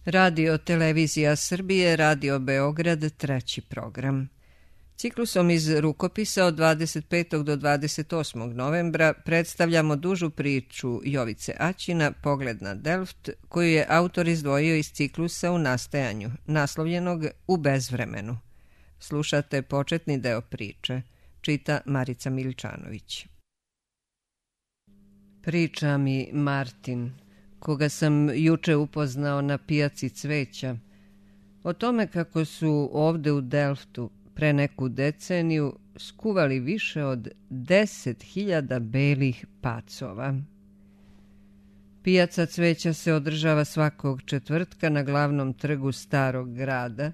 Radio Televizija Srbije, Radio Beograd, treći program. Ciklusom iz rukopisa od 25. do 28. novembra predstavljamo dužu priču Jovice Aćina Pogled na Delft, koju je autor izdvojio iz ciklusa U nastajanju, naslovljenog U bezvremenu. Slušate početni deo priče, čita Marica Miličanović. Priča mi Martin, koga sam juče upoznao na pijaci cveća, o tome kako su ovde u Delftu pre neku deceniju skuvali više od 10.000 belih pacova. Pijaca cveća se održava svakog četvrtka na glavnom trgu starog grada,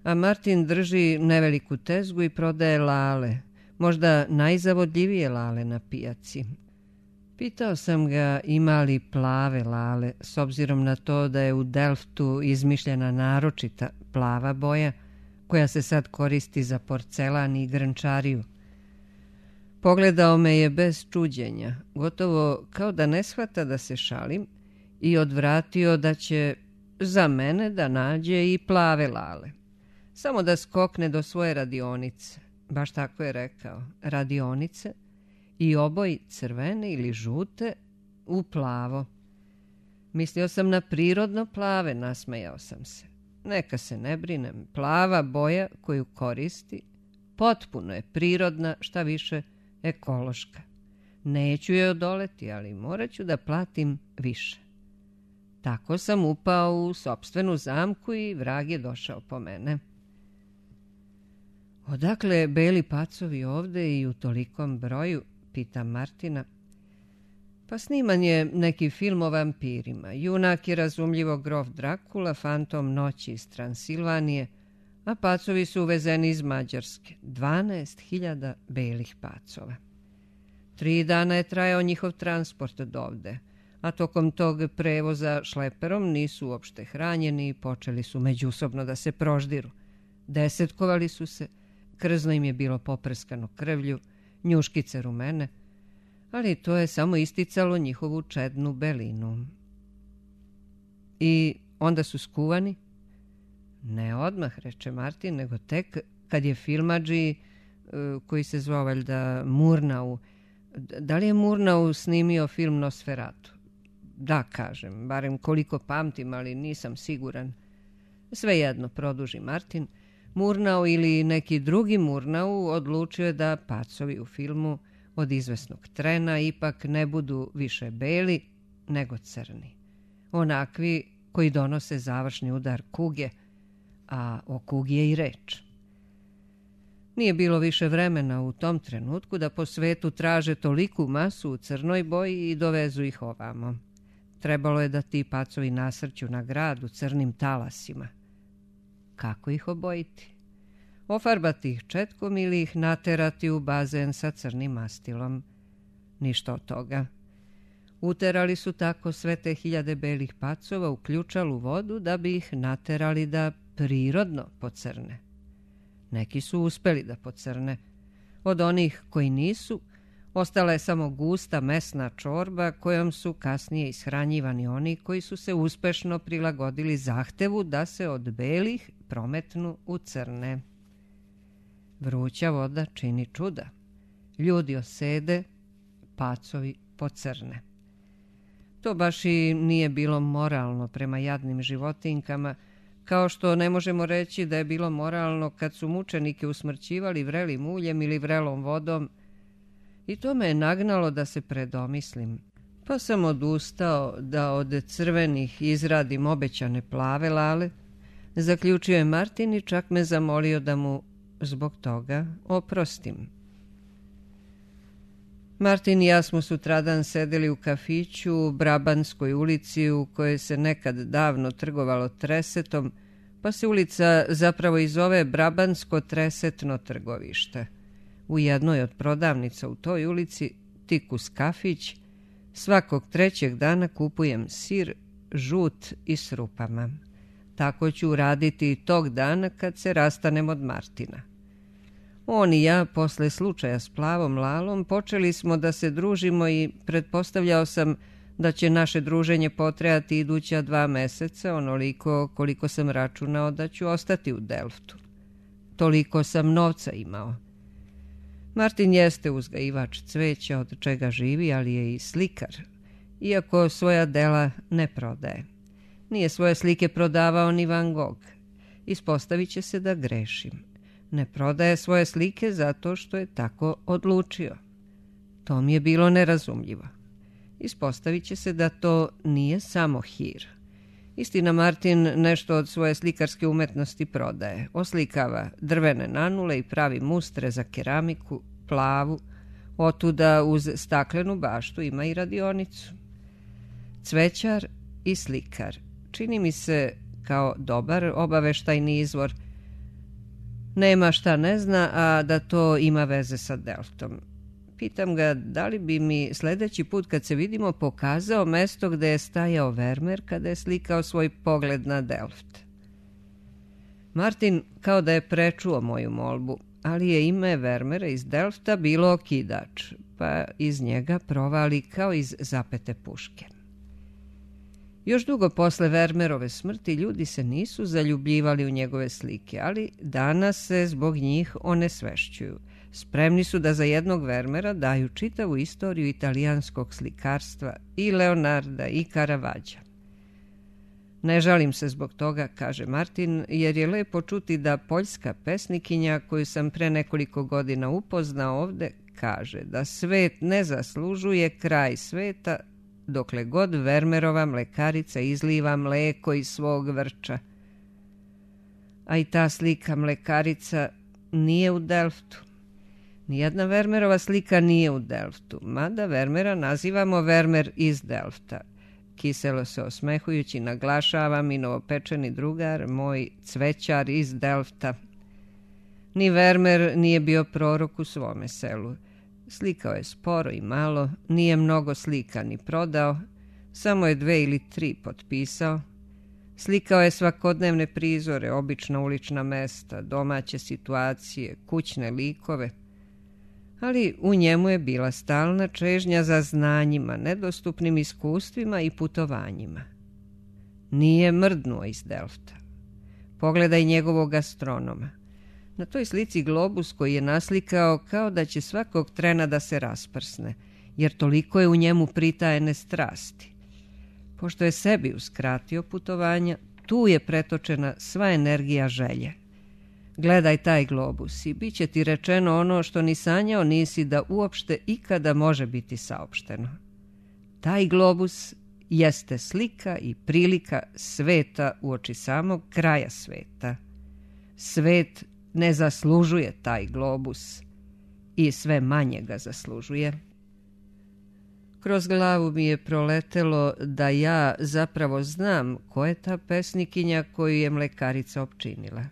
a Martin drži neveliku tezgu i prodaje lale, možda najzavodljivije lale na pijaci. Pitao sam ga ima li plave lale, s obzirom na to da je u Delftu izmišljena naročita plava boja, koja se sad koristi za porcelan i grnčariju. Pogledao me je bez čuđenja, gotovo kao da ne shvata da se šalim, i odvratio da će za mene da nađe i plave lale. Samo da skokne do svoje radionice, baš tako je rekao, radionice, i oboj crvene ili žute u plavo. Mislio sam na prirodno plave, nasmejao sam se. Neka se ne brinem, plava boja koju koristi potpuno je prirodna, šta više ekološka. Neću je odoleti, ali morat ću da platim više. Tako sam upao u sopstvenu zamku i vrag je došao po mene. Odakle beli pacovi ovde i u tolikom broju, pitam Martina. Pa sniman je neki film o vampirima. Junak je razumljivo grof Drakula, fantom noći iz Transilvanije, a pacovi su uvezeni iz Mađarske. 12.000 belih pacova. 3 dana je trajao njihov transport od ovde, a tokom tog prevoza šleperom nisu uopšte hranjeni i počeli su međusobno da se proždiru. Desetkovali su se, krzno im je bilo poprskano krvlju, njuškice rumene, ali to je samo isticalo njihovu čednu belinu. I onda su skuvani? Ne odmah, reče Martin, nego tek kad je filmadži, koji se zvao valjda Murnau, da li je Murnau snimio film Nosferatu? Da, kažem, barem koliko pamtim, ali nisam siguran. Svejedno, produži Martin, Murnau ili neki drugi Murnau odlučio je da pacovi u filmu od izvesnog trena ipak ne budu više beli nego crni. Onakvi koji donose završni udar kuge, a o kugi je i reč. Nije bilo više vremena u tom trenutku da po svetu traže toliku masu u crnoj boji i dovezu ih ovamo. Trebalo je da ti pacovi nasrću na grad u crnim talasima. Kako ih obojiti? Ofarbati ih četkom ili ih naterati u bazen sa crnim mastilom? Ništa od toga. Uterali su tako sve te 1000 belih pacova u ključalu vodu da bi ih naterali da prirodno pocrne. Neki su uspeli da pocrne. Od onih koji nisu, ostala je samo gusta mesna čorba kojom su kasnije ishranjivani oni koji su se uspešno prilagodili zahtevu da se od belih prometnu u crne. Vruća voda čini čuda. Ljudi osede, pacovi pocrne. To baš i nije bilo moralno prema jadnim životinkama, kao što ne možemo reći da je bilo moralno kad su mučenike usmrćivali vrelim uljem ili vrelom vodom, i to me je nagnalo da se predomislim. Pa sam odustao da od crvenih izradim obećane plave lale, zaključio je Martin i čak me zamolio da mu zbog toga oprostim. Martin i ja smo sutradan sedeli u kafiću u Brabanskoj ulici u kojoj se nekad davno trgovalo tresetom, pa se ulica zapravo i zove Brabansko tresetno trgovište. U jednoj od prodavnica u toj ulici, tik uz kafić, svakog 3. dana kupujem sir, žut i s rupama. Tako ću uraditi i tog dana kad se rastanem od Martina. On i ja, posle slučaja s plavom lalom, počeli smo da se družimo i pretpostavljao sam da će naše druženje potrajati iduća 2 meseca, onoliko koliko sam računao da ću ostati u Delftu. Toliko sam novca imao. Martin jeste uzgajivač cveća od čega živi, ali je i slikar, iako svoja dela ne prodaje. Nije svoje slike prodavao ni Van Gogh. Ispostavit će se da grešim. Ne prodaje svoje slike zato što je tako odlučio. To mi je bilo nerazumljivo. Ispostavit će se da to nije samo hir. Istina, Martin nešto od svoje slikarske umetnosti prodaje. Oslikava drvene nanule i pravi mustre za keramiku, plavu. Otuda uz staklenu baštu ima i radionicu. Cvećar i slikar. Čini mi se kao dobar obaveštajni izvor. Nema šta ne zna, a da to ima veze sa Delftom. Pitam ga da li bi mi sljedeći put kad se vidimo pokazao mesto gde je stajao Vermeer kada je slikao svoj pogled na Delft. Martin kao da je prečuo moju molbu, ali je ime Vermeera iz Delfta bilo okidač, pa iz njega provali kao iz zapete puške. Još dugo posle Vermeerove smrti ljudi se nisu zaljubljivali u njegove slike, ali danas se zbog njih onesvešćuju. Spremni su da za jednog Vermeera daju čitavu istoriju italijanskog slikarstva i Leonarda i Caravaggea. Ne žalim se zbog toga, kaže Martin, jer je lepo čuti da poljska pesnikinja koju sam pre nekoliko godina upoznao ovde kaže da svet ne zaslužuje kraj sveta dokle god Vermeerova mlekarica izliva mleko iz svog vrča. A i ta slika mlekarica nije u Delftu. Nijedna Vermeerova slika nije u Delftu, mada Vermeera nazivamo Vermeer iz Delfta. Kiselo se osmehujući naglašava mi novopečeni drugar, moj cvećar iz Delfta. Ni Vermeer nije bio prorok u svome selu. Slikao je sporo i malo, nije mnogo slika ni prodao, samo je 2 ili 3 potpisao. Slikao je svakodnevne prizore, obična ulična mesta, domaće situacije, kućne likove, ali u njemu je bila stalna čežnja za znanjima, nedostupnim iskustvima i putovanjima. Nije mrdnuo iz Delfta. Pogledaj njegovog astronoma. Na toj slici globus koji je naslikao kao da će svakog trena da se rasprsne, jer toliko je u njemu pritajene strasti. Pošto je sebi uskratio putovanja, tu je pretočena sva energija želje. Gledaj taj globus i bit će ti rečeno ono što ni sanjao nisi da uopšte ikada može biti saopšteno. Taj globus jeste slika i prilika sveta uoči samog kraja sveta. Svet ne zaslužuje taj globus i sve manje ga zaslužuje. Kroz glavu mi je proletelo da ja zapravo znam ko je ta pesnikinja koju je mlekarica opčinila.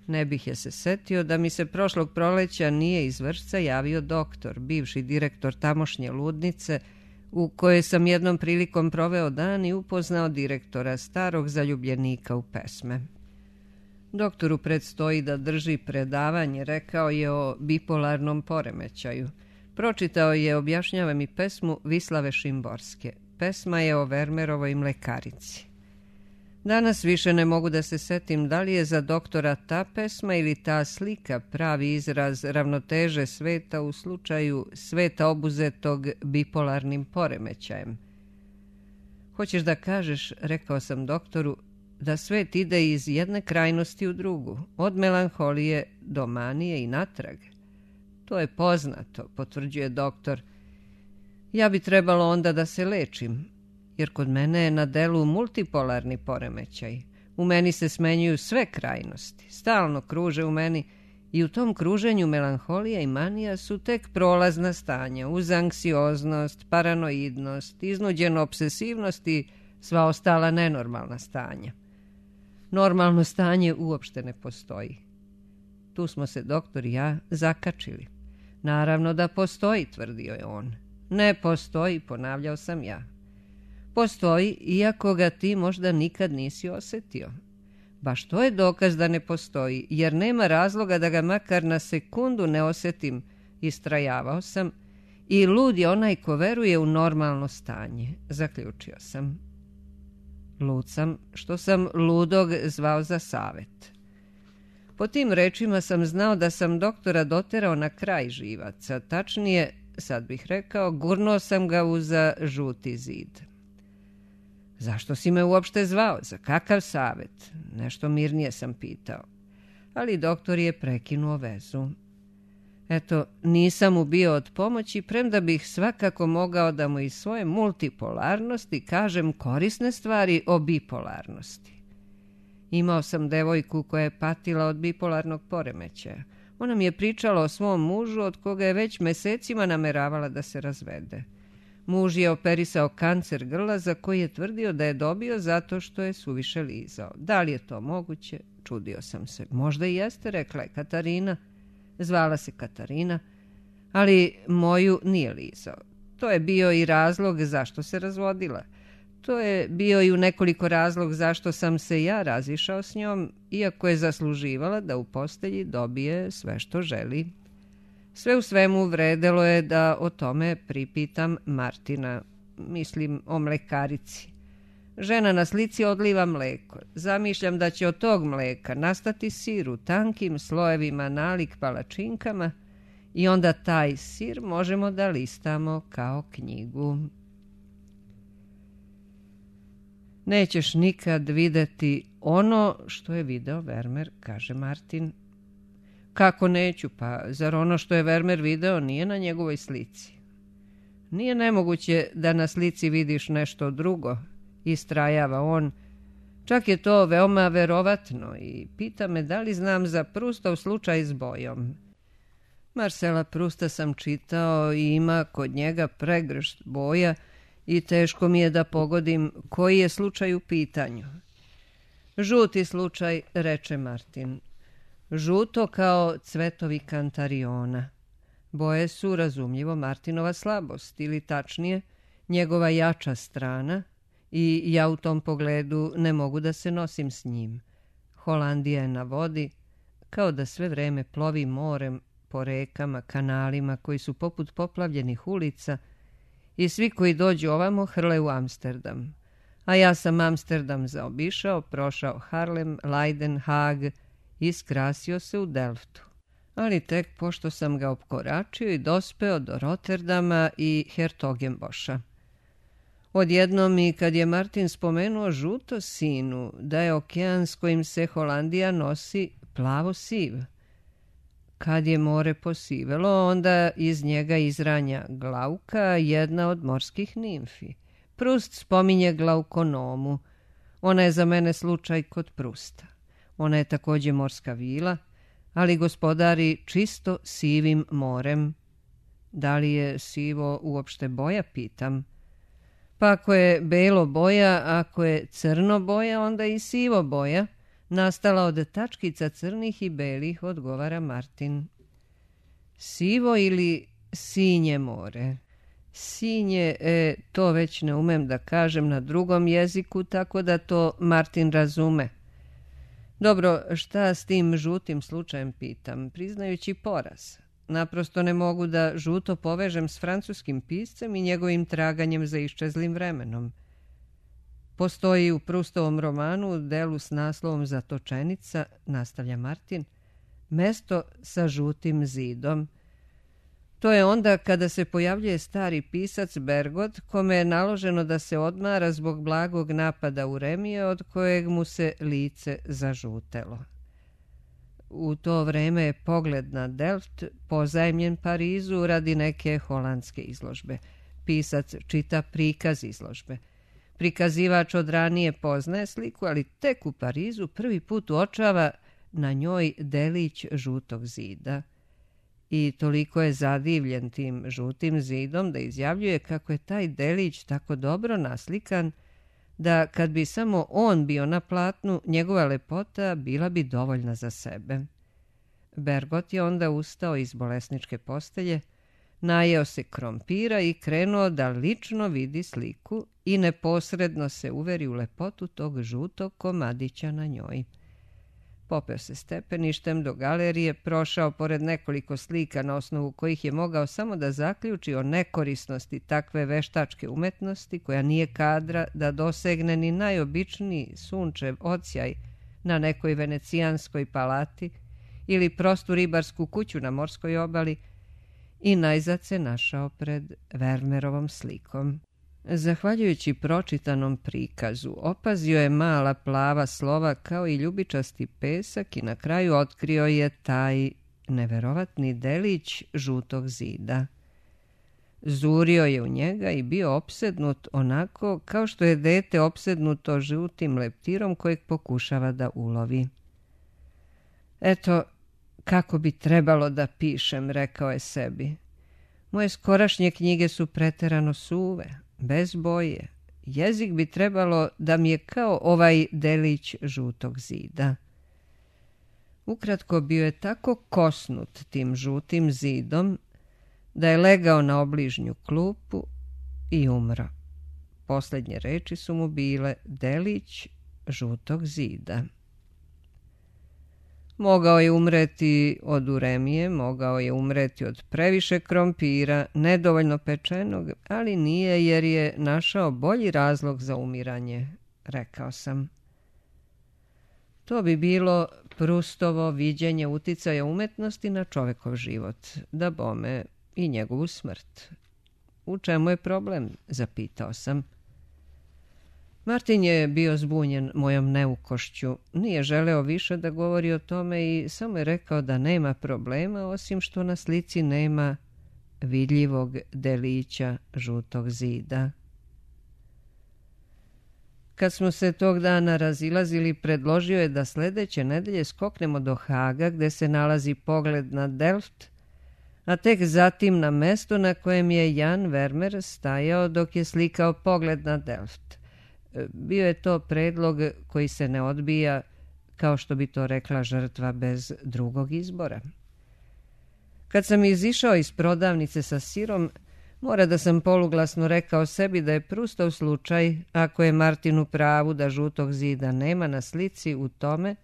Ne bih je se setio da mi se prošlog proleća nije iz Vršca javio doktor, bivši direktor tamošnje ludnice, u kojoj sam jednom prilikom proveo dan i upoznao direktora, starog zaljubljenika u pesme. Doktoru predstoji da drži predavanje, rekao je o bipolarnom poremećaju. Pročitao je, objašnjava mi, pesmu Vislave Šimborske. Pesma je o Vermeerovoj mlekarici. Danas više ne mogu da se setim da li je za doktora ta pesma ili ta slika pravi izraz ravnoteže sveta u slučaju sveta obuzetog bipolarnim poremećajem. Hoćeš da kažeš, rekao sam doktoru, da svet ide iz jedne krajnosti u drugu, od melanholije do manije i natrag. To je poznato, potvrđuje doktor. Ja bi trebalo onda da se lečim, jer kod mene je na delu multipolarni poremećaj. U meni se smenjuju sve krajnosti, stalno kruže u meni i u tom kruženju melanholija i manija su tek prolazna stanja, uz anksioznost, paranoidnost, iznuđenu obsesivnost i sva ostala nenormalna stanja. Normalno stanje uopšte ne postoji. Tu smo se doktor i ja zakačili. Naravno da postoji, tvrdio je on. Ne postoji, ponavljao sam ja. Postoji, iako ga ti možda nikad nisi osetio. Baš to je dokaz da ne postoji, jer nema razloga da ga makar na sekundu ne osetim, istrajavao sam, i lud je onaj ko veruje u normalno stanje, zaključio sam. Lud sam što sam ludog zvao za savet. Po tim rečima sam znao da sam doktora doterao na kraj živaca, tačnije, sad bih rekao, gurnuo sam ga uza žuti zid. Zašto si me uopšte zvao? Za kakav savet? Nešto mirnije sam pitao. Ali doktor je prekinuo vezu. Eto, nisam mu bio od pomoći, premda bih svakako mogao da mu iz svoje multipolarnosti kažem korisne stvari o bipolarnosti. Imao sam devojku koja je patila od bipolarnog poremećaja. Ona mi je pričala o svom mužu od koga je već mesecima nameravala da se razvede. Muž je operisao kancer grla za koji je tvrdio da je dobio zato što je suviše lizao. Da li je to moguće? Čudio sam se. Možda i jeste, rekla je Katarina. Zvala se Katarina, ali moju nije lizao. To je bio i razlog zašto se razvodila. To je bio i u nekoliko razlog zašto sam se ja razišao s njom, iako je zasluživala da u postelji dobije sve što želi. Sve u svemu vredelo je da o tome pripitam Martina, mislim o mlekarici. Žena na slici odliva mleko. Zamišljam da će od tog mleka nastati sir u tankim slojevima nalik palačinkama i onda taj sir možemo da listamo kao knjigu. Nećeš nikad videti ono što je video Vermeer, kaže Martin. Kako neću, pa zar ono što je Vermeer video nije na njegovoj slici? Nije nemoguće da na slici vidiš nešto drugo, istrajava on. Čak je to veoma verovatno i pita me da li znam za Proustov slučaj s bojom. Marcela Prousta sam čitao i ima kod njega pregršt boja i teško mi je da pogodim koji je slučaj u pitanju. Žuti slučaj, reče Martin. Žuto kao cvetovi kantariona. Boje su, razumljivo, Martinova slabost, ili tačnije, njegova jača strana, i ja u tom pogledu ne mogu da se nosim s njim. Holandija je na vodi, kao da sve vreme plovi morem po rekama, kanalima koji su poput poplavljenih ulica i svi koji dođu ovamo hrle u Amsterdam. A ja sam Amsterdam zaobišao, prošao Harlem, Leiden, Haag i skrasio se u Delftu. Ali tek pošto sam ga opkoračio i dospeo do Rotterdama i Hertogenboša. Odjednom i kad je Martin spomenuo žuto sinu, da je okean s kojim se Holandija nosi plavo siv. Kad je more posivelo, onda iz njega izranja Glauka, jedna od morskih nimfi. Proust spominje Glaukonomu. Ona je za mene slučaj kod Prousta. Ona je također morska vila, ali gospodari čisto sivim morem. Da li je sivo uopšte boja, pitam. Pa ako je belo boja, ako je crno boja, onda i sivo boja, nastala od tačkica crnih i belih, odgovara Martin. Sivo ili sinje more? Sinje, to već ne umem da kažem na drugom jeziku, tako da to Martin razume. Dobro, šta s tim žutim slučajem, pitam, priznajući poraz. Naprosto ne mogu da žuto povežem s francuskim piscem i njegovim traganjem za iščezlim vremenom. Postoji u Proustovom romanu, u delu s naslovom Zatočenica, nastavlja Martin, mesto sa žutim zidom. To je onda kada se pojavljuje stari pisac Bergot, kome je naloženo da se odmara zbog blagog napada uremije od kojeg mu se lice zažutelo. U to vreme je pogled na Delft pozajmljen Parizu radi neke holandske izložbe. Pisac čita prikaz izložbe. Prikazivač od ranije poznaje sliku, ali tek u Parizu prvi put uočava na njoj delić žutog zida. I toliko je zadivljen tim žutim zidom da izjavljuje kako je taj delić tako dobro naslikan da kad bi samo on bio na platnu, njegova lepota bila bi dovoljna za sebe. Bergot je onda ustao iz bolesničke postelje, najeo se krompira i krenuo da lično vidi sliku i neposredno se uveri u lepotu tog žutog komadića na njoj. Popeo se stepeništem do galerije, prošao pored nekoliko slika na osnovu kojih je mogao samo da zaključi o nekorisnosti takve veštačke umetnosti koja nije kadra da dosegne ni najobičniji sunčev odsjaj na nekoj venecijanskoj palati ili prostu ribarsku kuću na morskoj obali, i najzad se našao pred Vermeerovom slikom. Zahvaljujući pročitanom prikazu, opazio je mala plava slova kao i ljubičasti pesak i na kraju otkrio je taj neverovatni delić žutog zida. Zurio je u njega i bio opsednut onako kao što je dete opsednuto žutim leptirom kojeg pokušava da ulovi. Eto, kako bi trebalo da pišem, rekao je sebi. Moje skorašnje knjige su preterano suve, bez boje. Jezik bi trebalo da mi je kao ovaj delić žutog zida. Ukratko, bio je tako kosnut tim žutim zidom da je legao na obližnju klupu i umro. Posljednje reči su mu bile delić žutog zida. Mogao je umreti od uremije, mogao je umreti od previše krompira, nedovoljno pečenog, ali nije, jer je našao bolji razlog za umiranje, rekao sam. To bi bilo Prustovo viđenje uticaja umetnosti na čovekov život, da bome i njegovu smrt. U čemu je problem, zapitao sam. Martin je bio zbunjen mojom neukošću, nije želeo više da govori o tome i samo je rekao da nema problema, osim što na slici nema vidljivog delića žutog zida. Kad smo se tog dana razilazili, predložio je da sljedeće nedelje skoknemo do Haga, gde se nalazi pogled na Delft, a tek zatim na mesto na kojem je Jan Vermeer stajao dok je slikao pogled na Delft. Bio je to predlog koji se ne odbija, kao što bi to rekla žrtva bez drugog izbora. Kad sam izišao iz prodavnice sa sirom, mora da sam poluglasno rekao sebi da je Prustov slučaj, ako je Martin u pravu da žutog zida nema na slici, u tome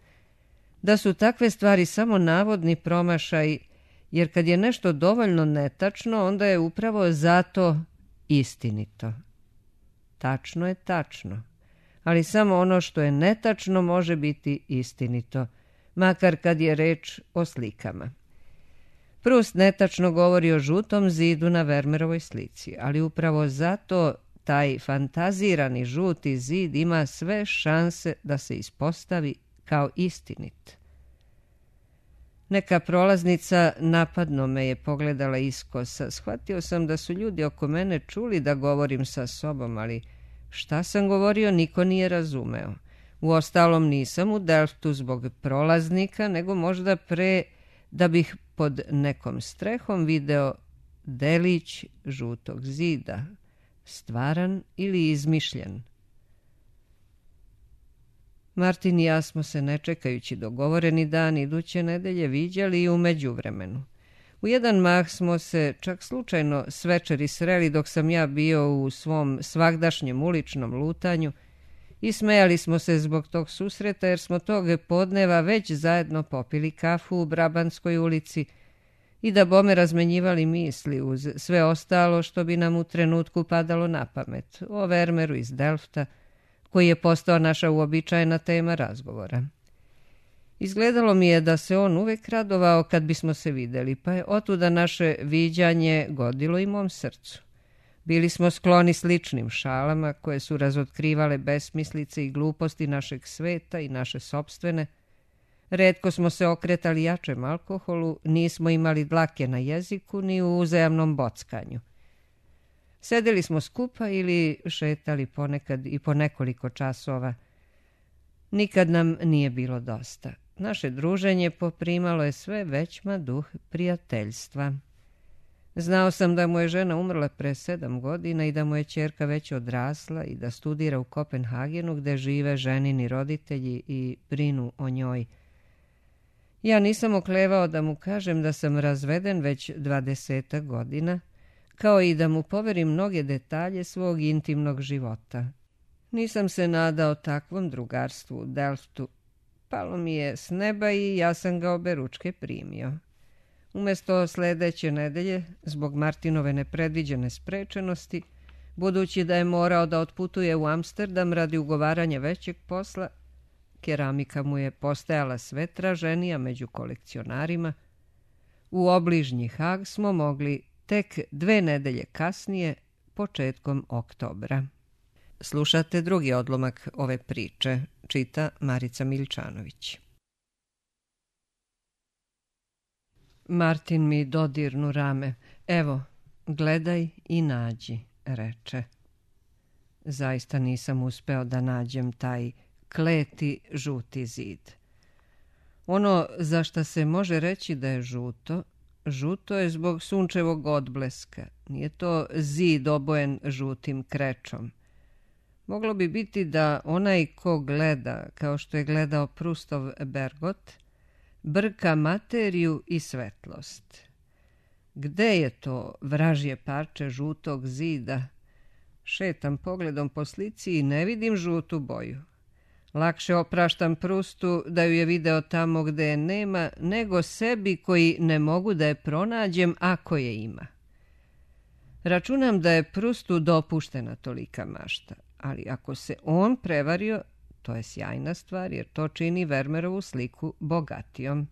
da su takve stvari samo navodni promašaj, jer kad je nešto dovoljno netačno, onda je upravo zato istinito. Tačno je tačno, ali samo ono što je netačno može biti istinito, makar kad je reč o slikama. Proust netačno govori o žutom zidu na Vermeerovoj slici, ali upravo zato taj fantazirani žuti zid ima sve šanse da se ispostavi kao istinit. Neka prolaznica napadno me je pogledala iskosa. Shvatio sam da su ljudi oko mene čuli da govorim sa sobom, ali šta sam govorio niko nije razumeo. Uostalom nisam u Delftu zbog prolaznika, nego možda pre da bih pod nekom strehom video delić žutog zida, stvaran ili izmišljen. Martin i ja smo se, ne čekajući dogovoreni dan iduće nedelje, viđali i u međuvremenu. U jedan mah smo se čak slučajno s večeri sreli dok sam ja bio u svom svagdašnjem uličnom lutanju i smejali smo se zbog tog susreta, jer smo tog podneva već zajedno popili kafu u Brabanskoj ulici i da bome razmenjivali misli uz sve ostalo što bi nam u trenutku padalo na pamet o Vermeeru iz Delfta, koji je postao naša uobičajena tema razgovora. Izgledalo mi je da se on uvek radovao kad bismo se videli, pa je otuda naše viđanje godilo i mom srcu. Bili smo skloni sličnim šalama koje su razotkrivale besmislice i gluposti našeg sveta i naše sopstvene. Retko smo se okretali jačem alkoholu, nismo imali dlake na jeziku ni u uzajamnom bockanju. Sedeli smo skupa ili šetali ponekad i po nekoliko časova. Nikad nam nije bilo dosta. Naše druženje poprimalo je sve većma duh prijateljstva. Znao sam da mu je žena umrla pre 7 godina i da mu je ćerka već odrasla i da studira u Kopenhagenu, gde žive ženini roditelji i brinu o njoj. Ja nisam oklevao da mu kažem da sam razveden već 20 godina, kao i da mu poverim mnoge detalje svog intimnog života. Nisam se nadao takvom drugarstvu u Delftu, Palo mi je s neba i ja sam ga oberučke primio. Umesto sledeće nedelje, zbog Martinove nepredviđene sprečenosti, budući da je morao da otputuje u Amsterdam radi ugovaranja većeg posla, keramika mu je postajala sve traženija među kolekcionarima, u obližnji Hag smo mogli tek 2 nedelje kasnije, početkom oktobra. Slušate drugi odlomak ove priče, čita Marica Miličanović. Martin mi dodirnu rame. Evo, gledaj i nađi, reče. Zaista nisam uspeo da nađem taj kleti žuti zid. Ono za šta se može reći da je žuto, žuto je zbog sunčevog odbleska. Nije to zid obojen žutim krečom. Moglo bi biti da onaj ko gleda, kao što je gledao Prustov Bergot, brka materiju i svetlost. Gde je to vražje parče žutog zida? Šetam pogledom po slici i ne vidim žutu boju. Lakše opraštam Prustu da ju je video tamo gde je nema, nego sebi koji ne mogu da je pronađem ako je ima. Računam da je Prustu dopuštena tolika mašta, ali ako se on prevario, to je sjajna stvar jer to čini Vermerovu sliku bogatijom.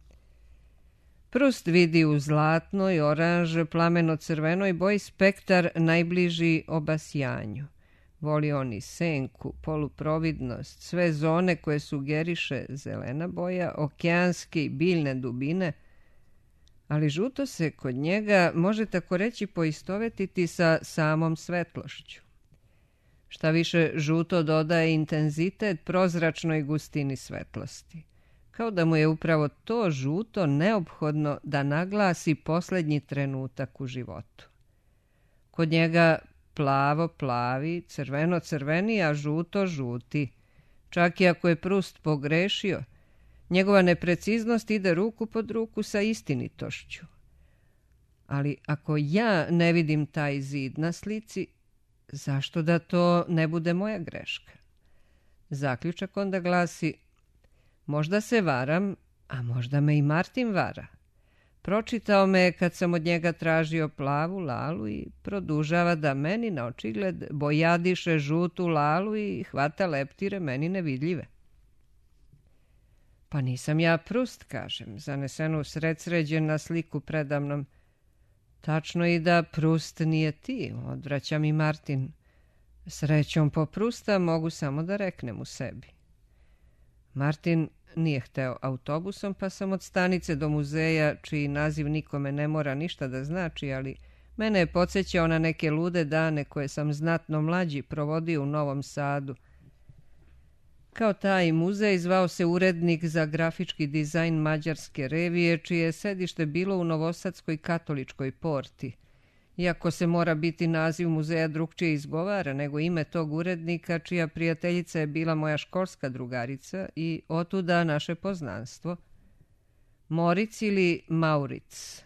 Prust vidi u zlatnoj, oranž, plameno-crvenoj boji spektar najbliži obasjanju. Voli on i senku, poluprovidnost, sve zone koje sugeriše zelena boja, okeanske i biljne dubine, ali žuto se kod njega može tako reći poistovetiti sa samom svetlošću. Šta više, žuto dodaje intenzitet prozračnoj gustini svetlosti. Kao da mu je upravo to žuto neophodno da naglasi posljednji trenutak u životu. Kod njega plavo plavi, crveno crveni, a žuto žuti. Čak i ako je Prust pogrešio, njegova nepreciznost ide ruku pod ruku sa istinitošću. Ali ako ja ne vidim taj zid na slici, zašto da to ne bude moja greška? Zaključak onda glasi: možda se varam, a možda me i Martin vara. Pročitao me kad sam od njega tražio plavu lalu i produžava da meni na očigled bojadiše žutu lalu i hvata leptire meni nevidljive. Pa nisam ja Prust, kažem, zanesenu sredsređen na sliku predamnom. Tačno i da Prust nije ti, odvraća mi Martin. Srećom po Prusta mogu samo da reknem u sebi. Martin nije hteo autobusom, pa sam od stanice do muzeja, čiji naziv nikome ne mora ništa da znači, ali mene je podsjećao na neke lude dane koje sam znatno mlađi provodio u Novom Sadu. Kao taj muzej zvao se Urednik za grafički dizajn mađarske revije, čije je sedište bilo u Novosadskoj katoličkoj porti. Iako se mora biti naziv muzeja drugčije izgovara nego ime tog urednika, čija prijateljica je bila moja školska drugarica i otuda naše poznanstvo. Moric ili Mauric.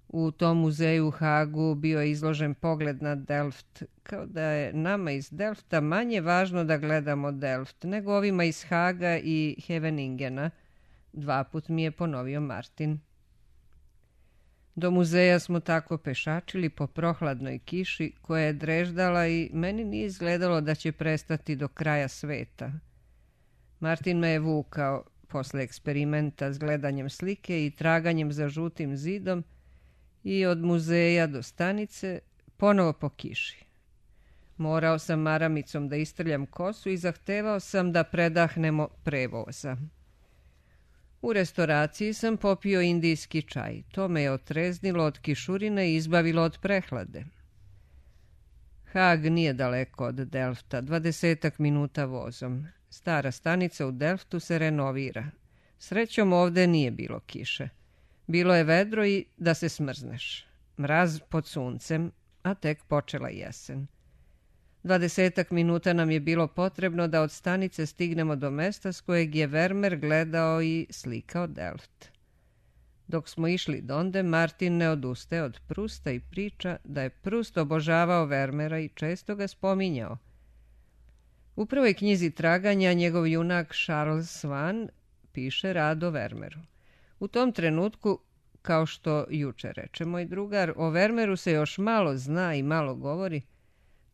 U tom muzeju u Hagu bio je izložen pogled na Delft, kao da je nama iz Delfta manje važno da gledamo Delft, nego ovima iz Haga i Heveningena. 2 put mi je ponovio Martin. Do muzeja smo tako pešačili po prohladnoj kiši koja je dreždala i meni nije izgledalo da će prestati do kraja sveta. Martin me je vukao posle eksperimenta s gledanjem slike i traganjem za žutim zidom i od muzeja do stanice ponovo po kiši. Morao sam maramicom da istrljam kosu i zahtevao sam da predahnemo prevoza. U restoraciji sam popio indijski čaj. To me je otreznilo od kišurine i izbavilo od prehlade. Hag nije daleko od Delfta, 20 minuta vozom. Stara stanica u Delftu se renovira. Srećom ovde nije bilo kiše. Bilo je vedro i da se smrzneš. Mraz pod suncem, a tek počela jesen. 20 minuta nam je bilo potrebno da od stanice stignemo do mesta s kojeg je Vermeer gledao i slikao Delft. Dok smo išli donde, Martin ne odustaje od Prusta i priča da je Prust obožavao Vermeera i često ga spominjao. U prvoj knjizi traganja njegov junak Charles Swan piše rad o Vermeeru. U tom trenutku, kao što juče reče moj drugar, o Vermeeru se još malo zna i malo govori,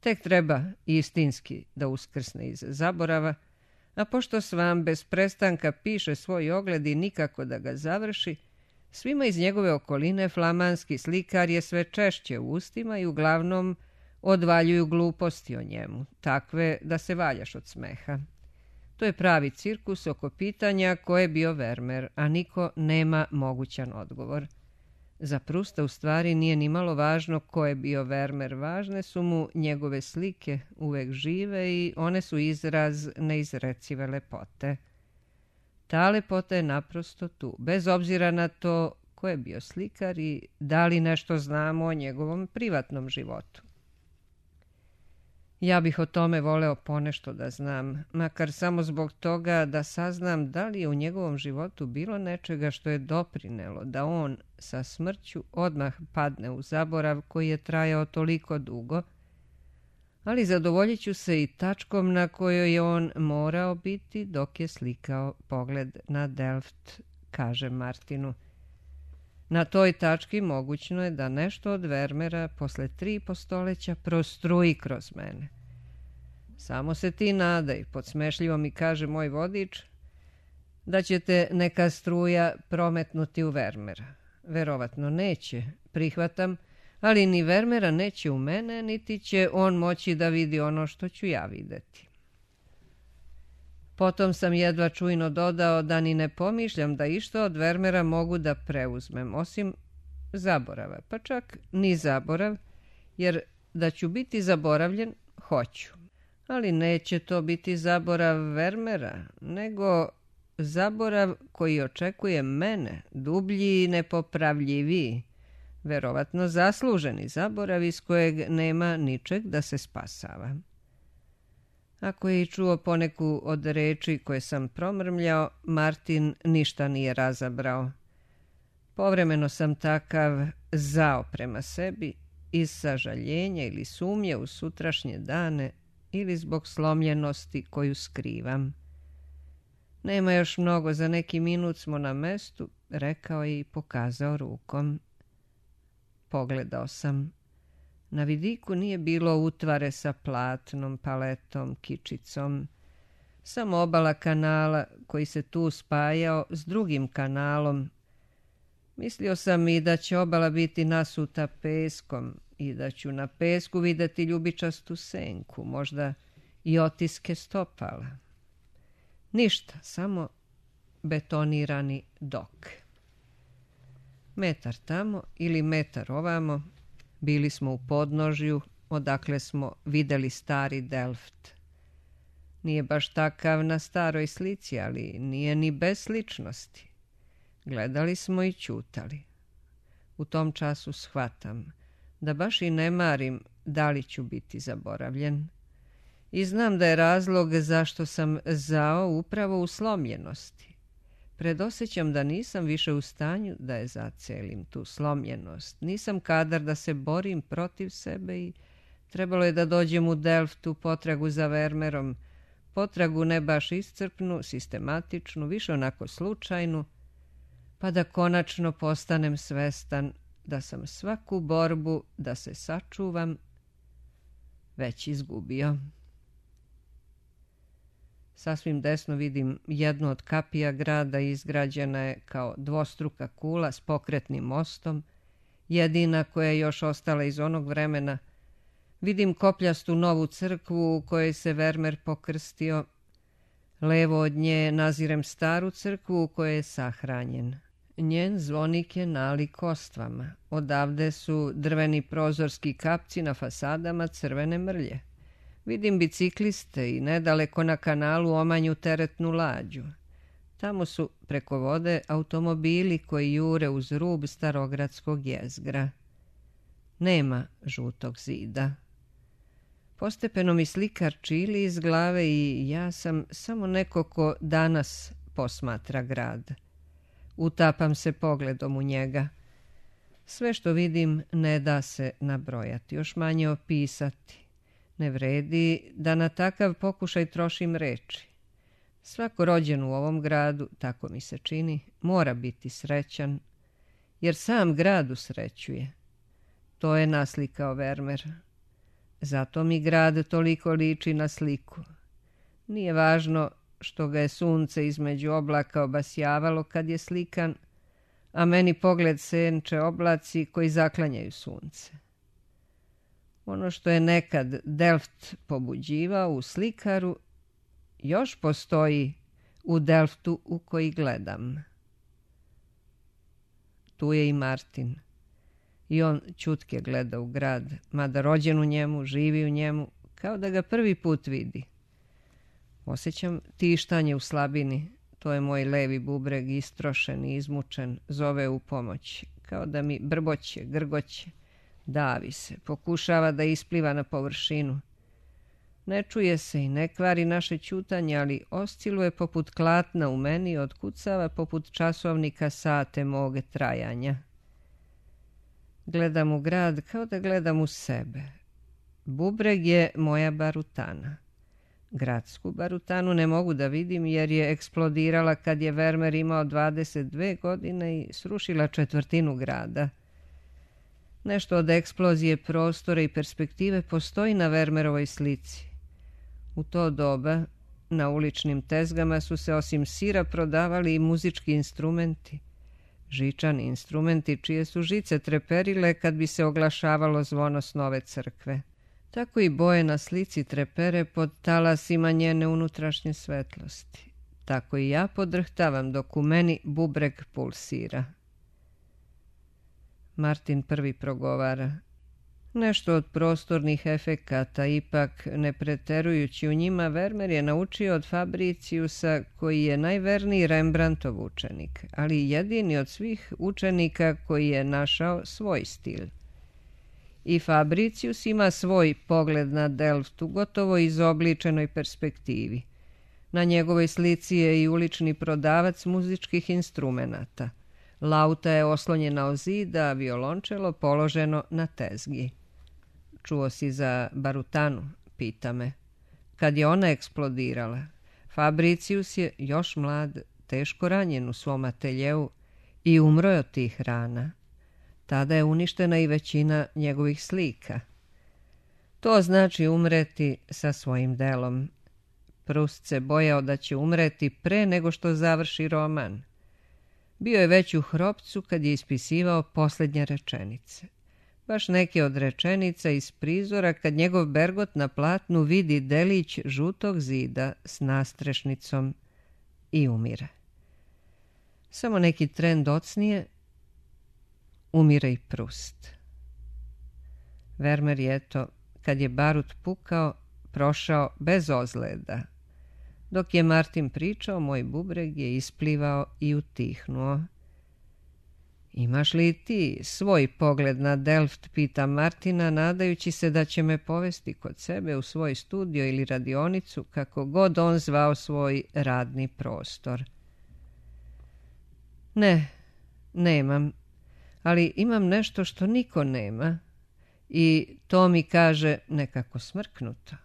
tek treba istinski da uskrsne iz zaborava, a pošto Svan bez prestanka piše svoj ogled i nikako da ga završi, svima iz njegove okoline flamanski slikar je sve češće u ustima i uglavnom odvaljuju gluposti o njemu, takve da se valjaš od smeha. To je pravi cirkus oko pitanja ko je bio Vermeer, a niko nema mogućan odgovor. Za Prusta u stvari nije ni malo važno ko je bio Vermeer, važne su mu njegove slike, uvek žive i one su izraz neizrecive lepote. Ta lepota je naprosto tu, bez obzira na to ko je bio slikar i da li nešto znamo o njegovom privatnom životu. Ja bih o tome voleo ponešto da znam, makar samo zbog toga da saznam da li je u njegovom životu bilo nečega što je doprinelo da on sa smrću odmah padne u zaborav koji je trajao toliko dugo, ali zadovoljit ću se i tačkom na kojoj je on morao biti dok je slikao Pogled na Delft, kaže Martinu. Na toj tački mogućno je da nešto od Vermeera posle 3,5 stoleća prostruji kroz mene. Samo se ti nadaj, podsmešljivo mi kaže moj vodič, da će te neka struja prometnuti u Vermeera. Verovatno neće, prihvatam, ali ni Vermeera neće u mene, niti će on moći da vidi ono što ću ja videti. Potom sam jedva čujno dodao da ni ne pomišljam da išta od Vermeera mogu da preuzmem, osim zaborava, pa čak ni zaborav, jer da ću biti zaboravljen, hoću. Ali neće to biti zaborav Vermeera, nego zaborav koji očekuje mene, dublji i nepopravljiviji, verovatno zasluženi zaborav iz kojeg nema ničeg da se spasava. Ako je i čuo poneku od reči koje sam promrmljao, Martin ništa nije razabrao. Povremeno sam takav zao prema sebi iz sažaljenja ili sumnje u sutrašnje dane ili zbog slomljenosti koju skrivam. Nema još mnogo, za neki minut smo na mestu, rekao je i pokazao rukom. Pogledao sam. Na vidiku nije bilo utvare sa platnom, paletom, kičicom. Samo obala kanala koji se tu spajao s drugim kanalom. Mislio sam i da će obala biti nasuta peskom i da ću na pesku videti ljubičastu senku, možda i otiske stopala. Ništa, samo betonirani dok. Metar tamo ili metar ovamo, bili smo u podnožju, odakle smo videli stari Delft. Nije baš takav na staroj slici, ali nije ni bez sličnosti. Gledali smo i ćutali. U tom času shvatam da baš i ne marim da li ću biti zaboravljen. I znam da je razlog zašto sam zao upravo u slomljenosti. Predosjećam da nisam više u stanju da je zacelim tu slomljenost. Nisam kadar da se borim protiv sebe i trebalo je da dođem u Delft u potragu za Vermeerom. Potragu ne baš iscrpnu, sistematičnu, više onako slučajnu, pa da konačno postanem svestan da sam svaku borbu da se sačuvam već izgubio. Sasvim desno vidim jednu od kapija grada, izgrađena je kao dvostruka kula s pokretnim mostom, jedina koja je još ostala iz onog vremena. Vidim kopljastu novu crkvu u kojoj se Vermeer pokrstio. Levo od nje nazirem staru crkvu u kojoj je sahranjen. Njen zvonik je nalik kostvama. Odavde su drveni prozorski kapci na fasadama crvene mrlje. Vidim bicikliste i nedaleko na kanalu omanju teretnu lađu. Tamo su preko vode automobili koji jure uz rub starogradskog jezgra. Nema žutog zida. Postepeno mi slikar čili iz glave i ja sam samo neko ko danas posmatra grad. Utapam se pogledom u njega. Sve što vidim ne da se nabrojati, još manje opisati. Ne vredi da na takav pokušaj trošim reči. Svako rođen u ovom gradu, tako mi se čini, mora biti srećan, jer sam grad usrećuje. To je naslikao Vermeer. Zato mi grad toliko liči na sliku. Nije važno što ga je sunce između oblaka obasjavalo kad je slikan, a meni pogled senče oblaci koji zaklanjaju sunce. Ono što je nekad Delft pobuđivao u slikaru, još postoji u Delftu u koji gledam. Tu je i Martin. I on ćutke gleda u grad, mada rođen u njemu, živi u njemu, kao da ga prvi put vidi. Osjećam tištanje u slabini. To je moj levi bubreg, istrošen i izmučen, zove u pomoć, kao da mi brboće, grgoće, davi se, pokušava da ispliva na površinu. Ne čuje se i ne kvari naše ćutanje, ali osciluje poput klatna u meni, otkucava poput časovnika sate mog trajanja. Gledam u grad kao da gledam u sebe. Bubreg je moja barutana. Gradsku barutanu ne mogu da vidim jer je eksplodirala kad je Vermeer imao 22 godine i srušila četvrtinu grada. Nešto od eksplozije prostora i perspektive postoji na Vermeerovoj slici. U to doba na uličnim tezgama su se osim sira prodavali i muzički instrumenti. Žičani instrumenti čije su žice treperile kad bi se oglašavalo zvono s nove crkve. Tako i boje na slici trepere pod talasima njene unutrašnje svetlosti. Tako i ja podrhtavam dok u meni bubreg pulsira. Martin prvi progovara. Nešto od prostornih efekata, ipak ne preterujući u njima, Vermeer je naučio od Fabriciusa, koji je najverniji Rembrandtov učenik, ali jedini od svih učenika koji je našao svoj stil. I Fabricius ima svoj pogled na Delft u gotovo izobličenoj perspektivi. Na njegovoj slici je i ulični prodavac muzičkih instrumenata. Lauta je oslonjena o zid, a violončelo položeno na tezgi. Čuo si za barutanu, pita me. Kad je ona eksplodirala, Fabricius je još mlad, teško ranjen u svom ateljeu i umro je od tih rana. Tada je uništena i većina njegovih slika. To znači umreti sa svojim delom. Proust se bojao da će umreti pre nego što završi roman. Bio je već u hropcu kad je ispisivao posljednje rečenice. Baš neke od rečenica iz prizora kad njegov Bergot na platnu vidi delić žutog zida s nastrešnicom i umire. Samo neki tren docnije, umire i Proust. Vermeer je to, kad je barut pukao, prošao bez ozljeda. Dok je Martin pričao, moj bubreg je isplivao i utihnuo. Imaš li ti svoj pogled na Delft, pita Martina, nadajući se da će me povesti kod sebe u svoj studio ili radionicu, kako god on zvao svoj radni prostor. Ne, nemam, ali imam nešto što niko nema i to mi kaže nekako smrknuto.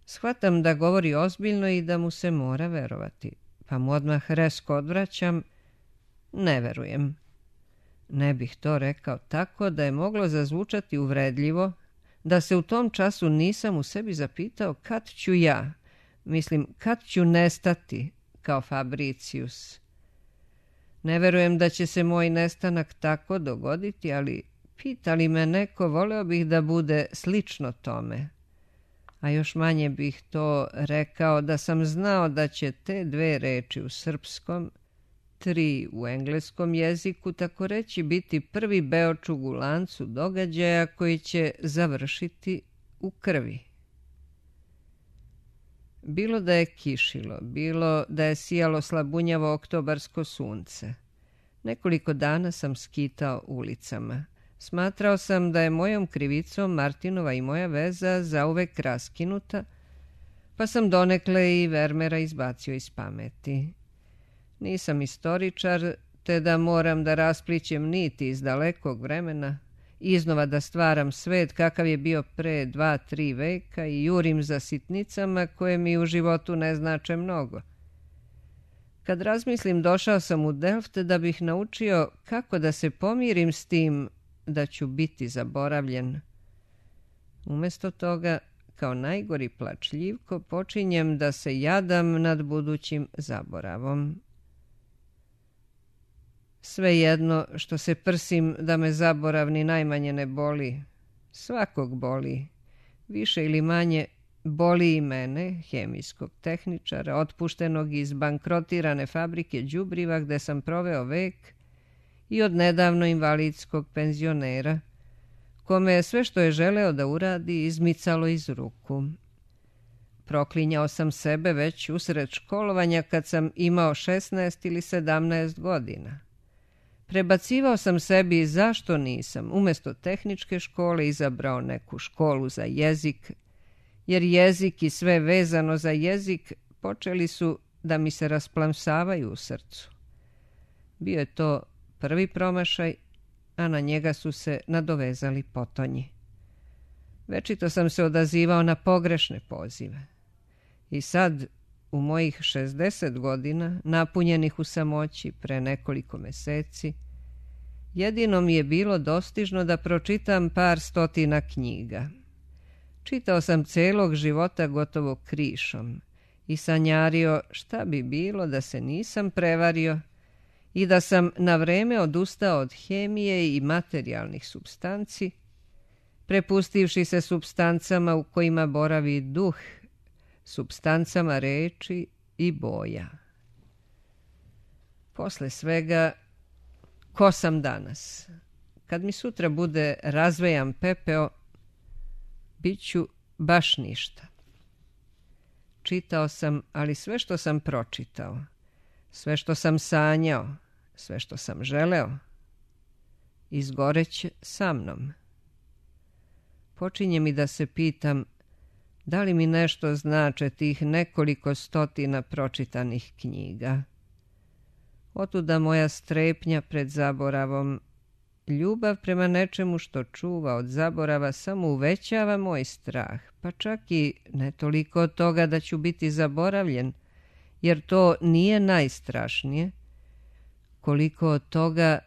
Shvatam da govori ozbiljno i da mu se mora verovati, pa mu odmah rezko odvraćam, ne verujem. Ne bih to rekao tako da je moglo zazvučati uvredljivo, da se u tom času nisam u sebi zapitao kad ću ja, mislim kad ću nestati kao Fabricius. Ne verujem da će se moj nestanak tako dogoditi, ali pita li me neko, voleo bih da bude slično tome. A još manje bih to rekao da sam znao da će te dve reči u srpskom, 3 u engleskom jeziku, tako reći, biti prvi beočug u lancu događaja koji će završiti u krvi. Bilo da je kišilo, bilo da je sijalo slabunjavo oktobarsko sunce. Nekoliko dana sam skitao ulicama. Smatrao sam da je mojom krivicom Martinova i moja veza zauvek raskinuta, pa sam donekle i Vermeera izbacio iz pameti. Nisam istoričar, te da moram da rasplićem niti iz dalekog vremena, iznova da stvaram svet kakav je bio pre 2-3 veka i jurim za sitnicama koje mi u životu ne znače mnogo. Kad razmislim, došao sam u Delft da bih naučio kako da se pomirim s tim da ću biti zaboravljen. Umjesto toga, kao najgori plačljivko, počinjem da se jadam nad budućim zaboravom. Svejedno što se prsim da me zaborav ni najmanje ne boli. Svakog boli. Više ili manje boli i mene, hemijskog tehničara, otpuštenog iz bankrotirane fabrike đubriva gde sam proveo vek, i od nedavno invalidskog penzionera, kome je sve što je želeo da uradi izmicalo iz ruku. Proklinjao sam sebe već usred školovanja kad sam imao 16 ili 17 godina. Prebacivao sam sebi zašto nisam umjesto tehničke škole izabrao neku školu za jezik, jer jezik i sve vezano za jezik počeli su da mi se rasplamsavaju u srcu. Bio je to prvi promašaj, a na njega su se nadovezali potonji. Večito sam se odazivao na pogrešne pozive. I sad, u mojih 60 godina, napunjenih u samoći pre nekoliko meseci, jedino mi je bilo dostižno da pročitam par stotina knjiga. Čitao sam celog života gotovo krišom i sanjario šta bi bilo da se nisam prevario i da sam na vreme odustao od hemije i materijalnih supstanci, prepustivši se supstancama u kojima boravi duh, supstancama reči i boja. Posle svega, ko sam danas? Kad mi sutra bude razvejan pepeo, bit ću baš ništa. Čitao sam, ali sve što sam pročitao, sve što sam sanjao, sve što sam želeo, izgoreće sa mnom. Počinje mi da se pitam da li mi nešto znače tih nekoliko stotina pročitanih knjiga. Otuda moja strepnja pred zaboravom. Ljubav prema nečemu što čuva od zaborava samo uvećava moj strah, pa čak i ne toliko od toga da ću biti zaboravljen, jer to nije najstrašnije, koliko od toga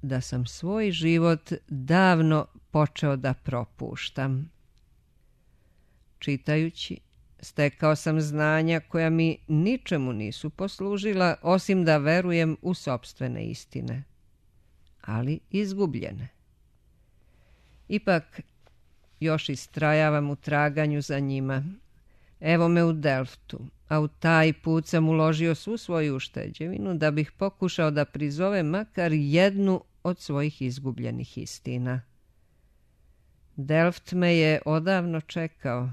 da sam svoj život davno počeo da propuštam. Čitajući, stekao sam znanja koja mi ničemu nisu poslužila, osim da verujem u sopstvene istine, ali izgubljene. Ipak, još istrajavam u traganju za njima. Evo me u Delftu, a u taj put sam uložio svu svoju ušteđevinu da bih pokušao da prizovem makar jednu od svojih izgubljenih istina. Delft me je odavno čekao.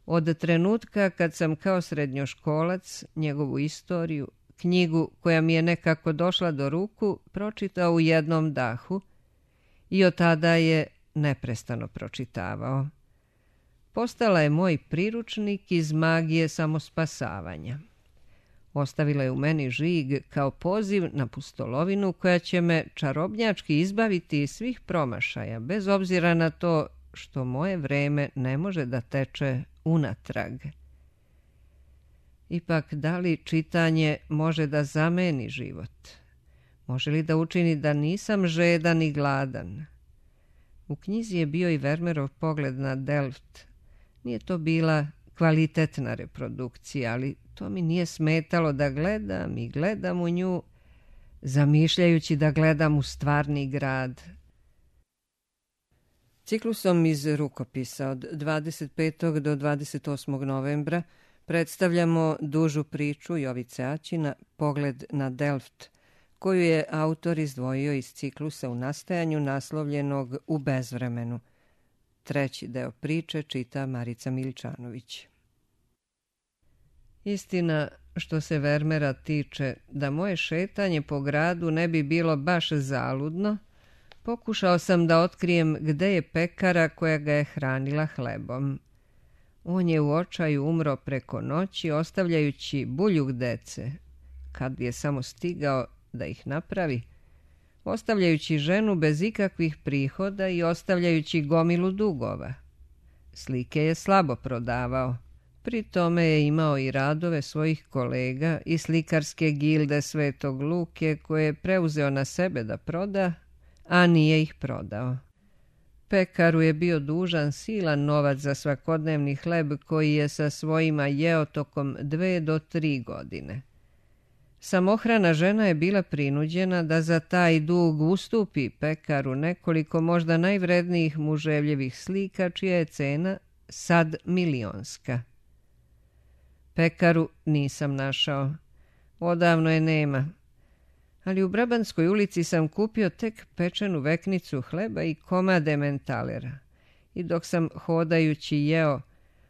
Od trenutka kad sam kao srednjoškolac njegovu istoriju, knjigu koja mi je nekako došla do ruku, pročitao u jednom dahu i od tada je neprestano pročitavao. Postala je moj priručnik iz magije samospasavanja. Ostavila je u meni žig kao poziv na pustolovinu koja će me čarobnjački izbaviti iz svih promašaja, bez obzira na to što moje vreme ne može da teče unatrag. Ipak, da li čitanje može da zameni život? Može li da učini da nisam žedan i gladan? U knjizi je bio i Vermeerov pogled na Delft. Nije to bila kvalitetna reprodukcija, ali to mi nije smetalo da gledam i gledam u nju, zamišljajući da gledam u stvarni grad. Ciklusom iz rukopisa od 25. do 28. novembra predstavljamo dužu priču Jovice Aćina Pogled na Delft, koju je autor izdvojio iz ciklusa u nastajanju naslovljenog U bezvremenu. Treći deo priče čita Marica Miličanović. Istina, što se Vermeera tiče, da moje šetanje po gradu ne bi bilo baš zaludno, pokušao sam da otkrijem gde je pekara koja ga je hranila hlebom. On je u očaju umro preko noći, ostavljajući buljug dece, kad je samo stigao da ih napravi, ostavljajući ženu bez ikakvih prihoda i ostavljajući gomilu dugova. Slike je slabo prodavao, Pri tome je imao i radove svojih kolega i slikarske gilde Svetog Luke koje je preuzeo na sebe da proda, a nije ih prodao. Pekaru je bio dužan silan novac za svakodnevni hleb koji je sa svojima jeo tokom 2 do 3 godine. Samohrana žena je bila prinuđena da za taj dug ustupi pekaru nekoliko možda najvrednijih muževljevih slika čija je cena sad milionska. Pekaru nisam našao. Odavno je nema. Ali u Brabanskoj ulici sam kupio tek pečenu veknicu hleba i komad ementalera. I dok sam hodajući jeo,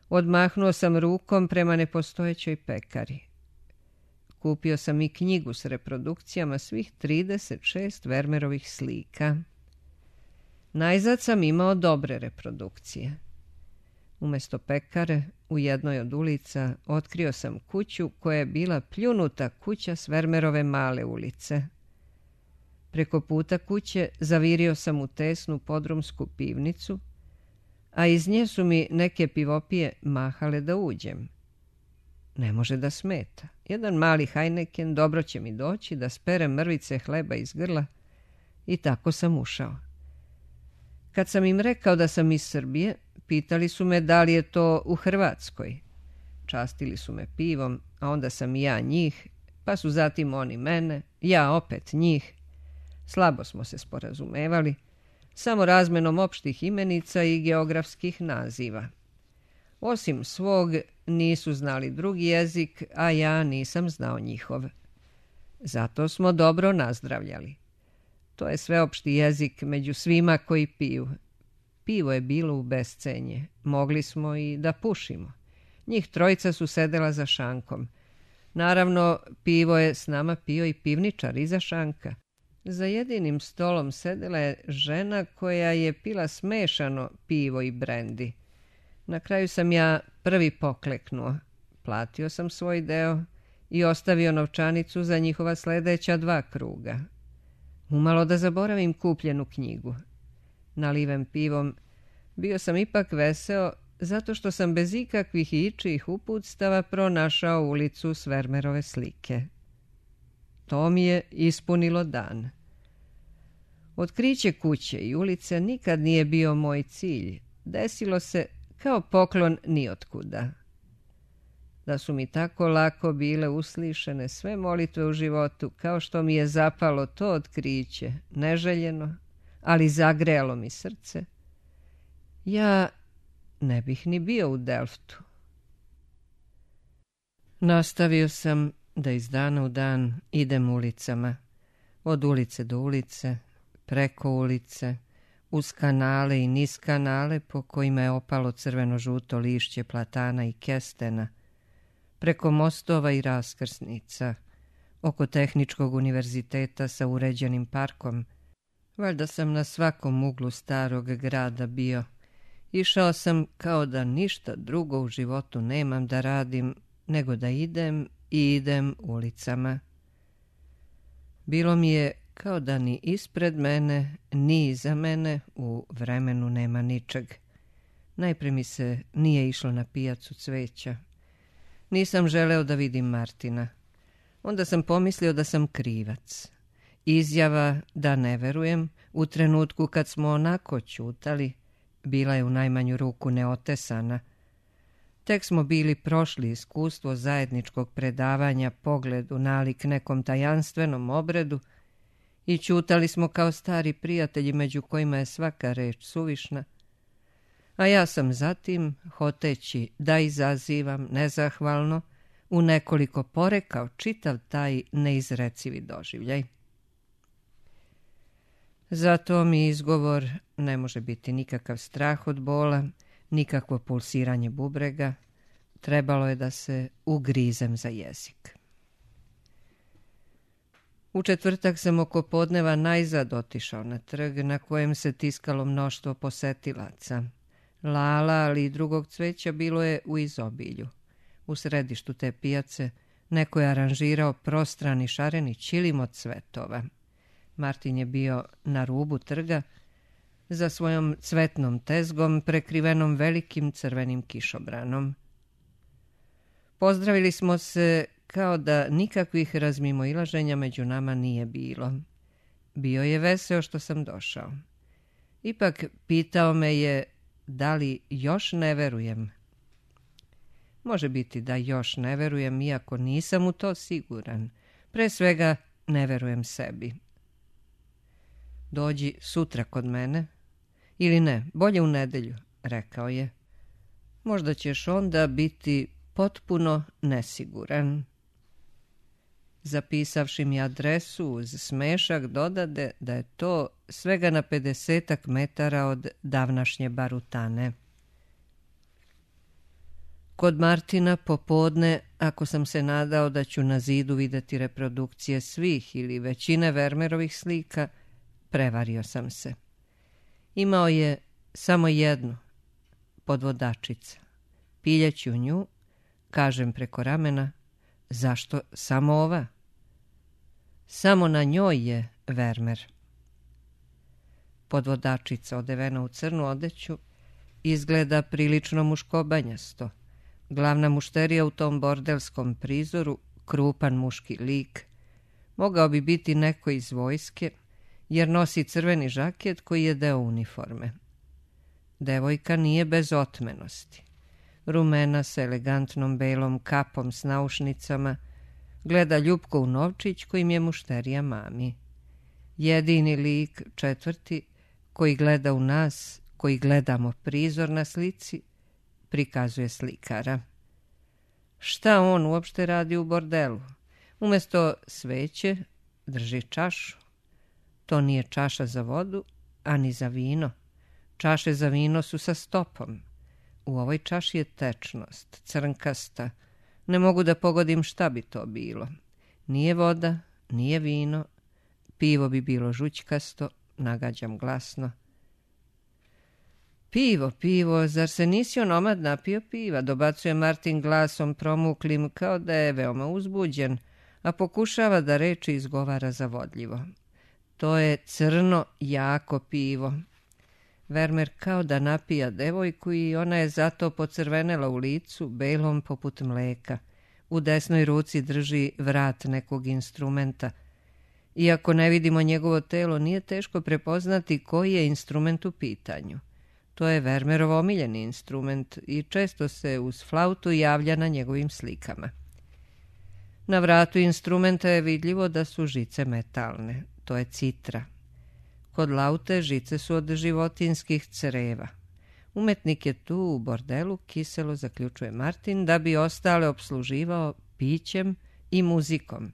odmahnuo sam rukom prema nepostojećoj pekari. Kupio sam i knjigu s reprodukcijama svih 36 Vermeerovih slika. Najzad sam imao dobre reprodukcije. Umjesto pekare, u jednoj od ulica, otkrio sam kuću koja je bila pljunuta kuća s Vermeerove male ulice. Preko puta kuće zavirio sam u tesnu podrumsku pivnicu, a iz nje su mi neke pivopije mahale da uđem. Ne može da smeta. Jedan mali Heineken dobro će mi doći da sperem mrvice hleba iz grla i tako sam ušao. Kad sam im rekao da sam iz Srbije, pitali su me da li je to u Hrvatskoj. Častili su me pivom, a onda sam i ja njih, pa su zatim oni mene, ja opet njih. Slabo smo se sporazumevali, samo razmenom opštih imenica i geografskih naziva. Osim svog, nisu znali drugi jezik, a ja nisam znao njihov. Zato smo dobro nazdravljali. To je sveopšti jezik među svima koji piju. Pivo je bilo u bescenje. Mogli smo i da pušimo. Njih trojica su sedela za šankom. Naravno, pivo je s nama pio i pivničar iza šanka. Za jedinim stolom sedela je žena koja je pila smešano pivo i brendi. Na kraju sam ja prvi pokleknuo. Platio sam svoj deo i ostavio novčanicu za njihova sledeća 2 kruga. Umalo da zaboravim kupljenu knjigu. Naliven pivom, bio sam ipak veseo zato što sam bez ikakvih ičijih uputstava pronašao ulicu s Vermeerove slike. To mi je ispunilo dan. Otkriće kuće i ulice nikad nije bio moj cilj. Desilo se kao poklon nijotkuda. Da su mi tako lako bile uslišene sve molitve u životu, kao što mi je zapalo to otkriće, neželjeno, ali zagrelo mi srce, ja ne bih ni bio u Delftu. Nastavio sam da iz dana u dan idem ulicama, od ulice do ulice, preko ulice, uz kanale i niz kanale po kojima je opalo crveno-žuto lišće platana i kestena, preko mostova i raskrsnica, oko Tehničkog univerziteta sa uređenim parkom. Valjda sam na svakom uglu starog grada bio. Išao sam kao da ništa drugo u životu nemam da radim, nego da idem i idem ulicama. Bilo mi je kao da ni ispred mene, ni iza mene u vremenu nema ničeg. Najpre mi se nije išlo na pijacu cveća. Nisam želeo da vidim Martina. Onda sam pomislio da sam krivac. Izjava da ne verujem u trenutku kad smo onako ćutali bila je u najmanju ruku neotesana. Tek smo bili prošli iskustvo zajedničkog predavanja pogledu nalik nekom tajanstvenom obredu i ćutali smo kao stari prijatelji među kojima je svaka reč suvišna, a ja sam zatim, hoteći da izazivam nezahvalno, u nekoliko porekao čitav taj neizrecivi doživljaj. Zato mi izgovor ne može biti nikakav strah od bola, nikakvo pulsiranje bubrega. Trebalo je da se ugrizem za jezik. U četvrtak sam oko podneva najzad otišao na trg na kojem se tiskalo mnoštvo posetilaca. Lala, ali i drugog cveća bilo je u izobilju. U središtu te pijace neko je aranžirao prostrani šareni ćilim od cvetova. Martin je bio na rubu trga za svojom cvetnom tezgom prekrivenom velikim crvenim kišobranom. Pozdravili smo se kao da nikakvih razmimoilaženja među nama nije bilo. Bio je veseo što sam došao. Ipak pitao me je da li još ne verujem. Može biti da još ne verujem, iako nisam u to siguran. Pre svega ne verujem sebi. Dođi sutra kod mene. Ili ne, bolje u nedelju, rekao je. Možda ćeš onda biti potpuno nesiguran. Zapisavši mi adresu uz smešak dodade da je to svega na 50 metara od davnašnje Barutane. Kod Martina popodne, ako sam se nadao da ću na zidu vidjeti reprodukcije svih ili većine Vermeerovih slika, prevario sam se. Imao je samo jednu, podvodačica. Piljeći u nju, kažem preko ramena, zašto samo ova? Samo na njoj je Vermeer. Podvodačica odevena u crnu odeću izgleda prilično muškobanjasto. Glavna mušterija u tom bordelskom prizoru, krupan muški lik, mogao bi biti neko iz vojske, jer nosi crveni žaket koji je deo uniforme. Devojka nije bez otmenosti. Rumena sa elegantnom belom kapom s naušnicama, gleda ljupko u novčić kojim je mušterija mami. Jedini lik, četvrti, koji gleda u nas, koji gledamo prizor na slici, prikazuje slikara. Šta on uopšte radi u bordelu? Umjesto sveće drži čašu. To nije čaša za vodu, ani za vino. Čaše za vino su sa stopom. U ovoj čaši je tečnost, crnkasta. Ne mogu da pogodim šta bi to bilo. Nije voda, nije vino. Pivo bi bilo žućkasto, nagađam glasno. Pivo, pivo, zar se nisi onomad napio piva? Dobacuje Martin glasom promuklim kao da je veoma uzbuđen, a pokušava da reči izgovara zavodljivo. To je crno, jako pivo. Vermeer kao da napija devojku i ona je zato pocrvenela u licu, belom poput mleka. U desnoj ruci drži vrat nekog instrumenta. Iako ne vidimo njegovo telo, nije teško prepoznati koji je instrument u pitanju. To je Vermeerov omiljeni instrument i često se uz flautu javlja na njegovim slikama. Na vratu instrumenta je vidljivo da su žice metalne. To je citra. Kod laute žice su od životinskih creva. Umetnik je tu u bordelu, kiselo zaključuje Martin, da bi ostale opsluživao pićem i muzikom.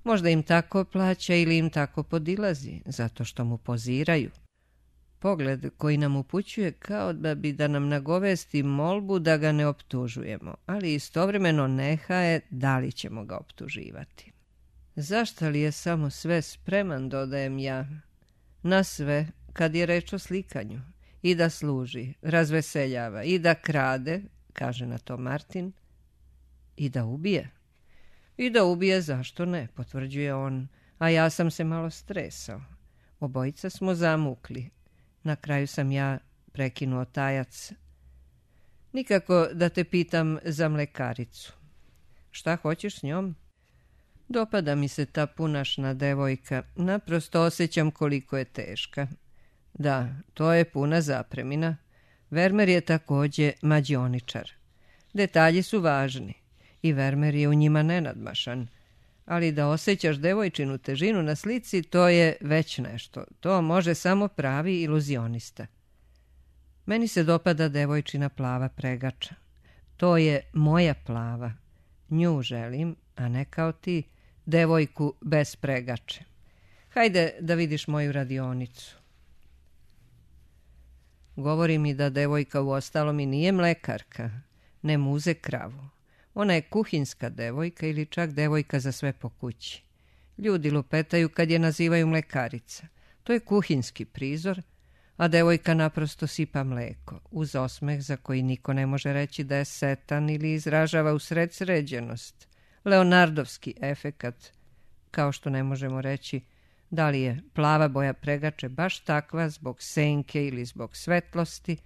Možda im tako plaća ili im tako podilazi, zato što mu poziraju. Pogled koji nam upućuje kao da bi da nam nagovesti molbu da ga ne optužujemo, ali istovremeno nehaje da li ćemo ga optuživati. Zašto li je samo sve spreman, dodajem ja, na sve kad je reč o slikanju, i da služi, razveseljava, i da krade, kaže na to Martin, i da ubije. I da ubije, zašto ne, potvrđuje on, a ja sam se malo stresao. Obojica smo zamukli. Na kraju sam ja prekinuo tajac. Nikako da te pitam za mlekaricu. Šta hoćeš s njom? Dopada mi se ta punašna devojka. Naprosto osjećam koliko je teška. Da, to je puna zapremina. Vermeer je također mađioničar. Detalji su važni i Vermeer je u njima nenadmašan. Ali da osjećaš devojčinu težinu na slici, to je već nešto. To može samo pravi iluzionista. Meni se dopada devojčina plava pregača. To je moja plava. Nju želim, a ne kao ti, devojku bez pregače. Hajde da vidiš moju radionicu. Govori mi da devojka u ostalom i nije mlekarka, ne muze kravu. Ona je kuhinska devojka ili čak devojka za sve po kući. Ljudi lupetaju kad je nazivaju mlekarica. To je kuhinski prizor, a devojka naprosto sipa mleko, uz osmeh za koji niko ne može reći da je setan ili izražava usred sređenost. Leonardovski efekat, kao što ne možemo reći da li je plava boja pregače baš takva zbog senke ili zbog svetlosti,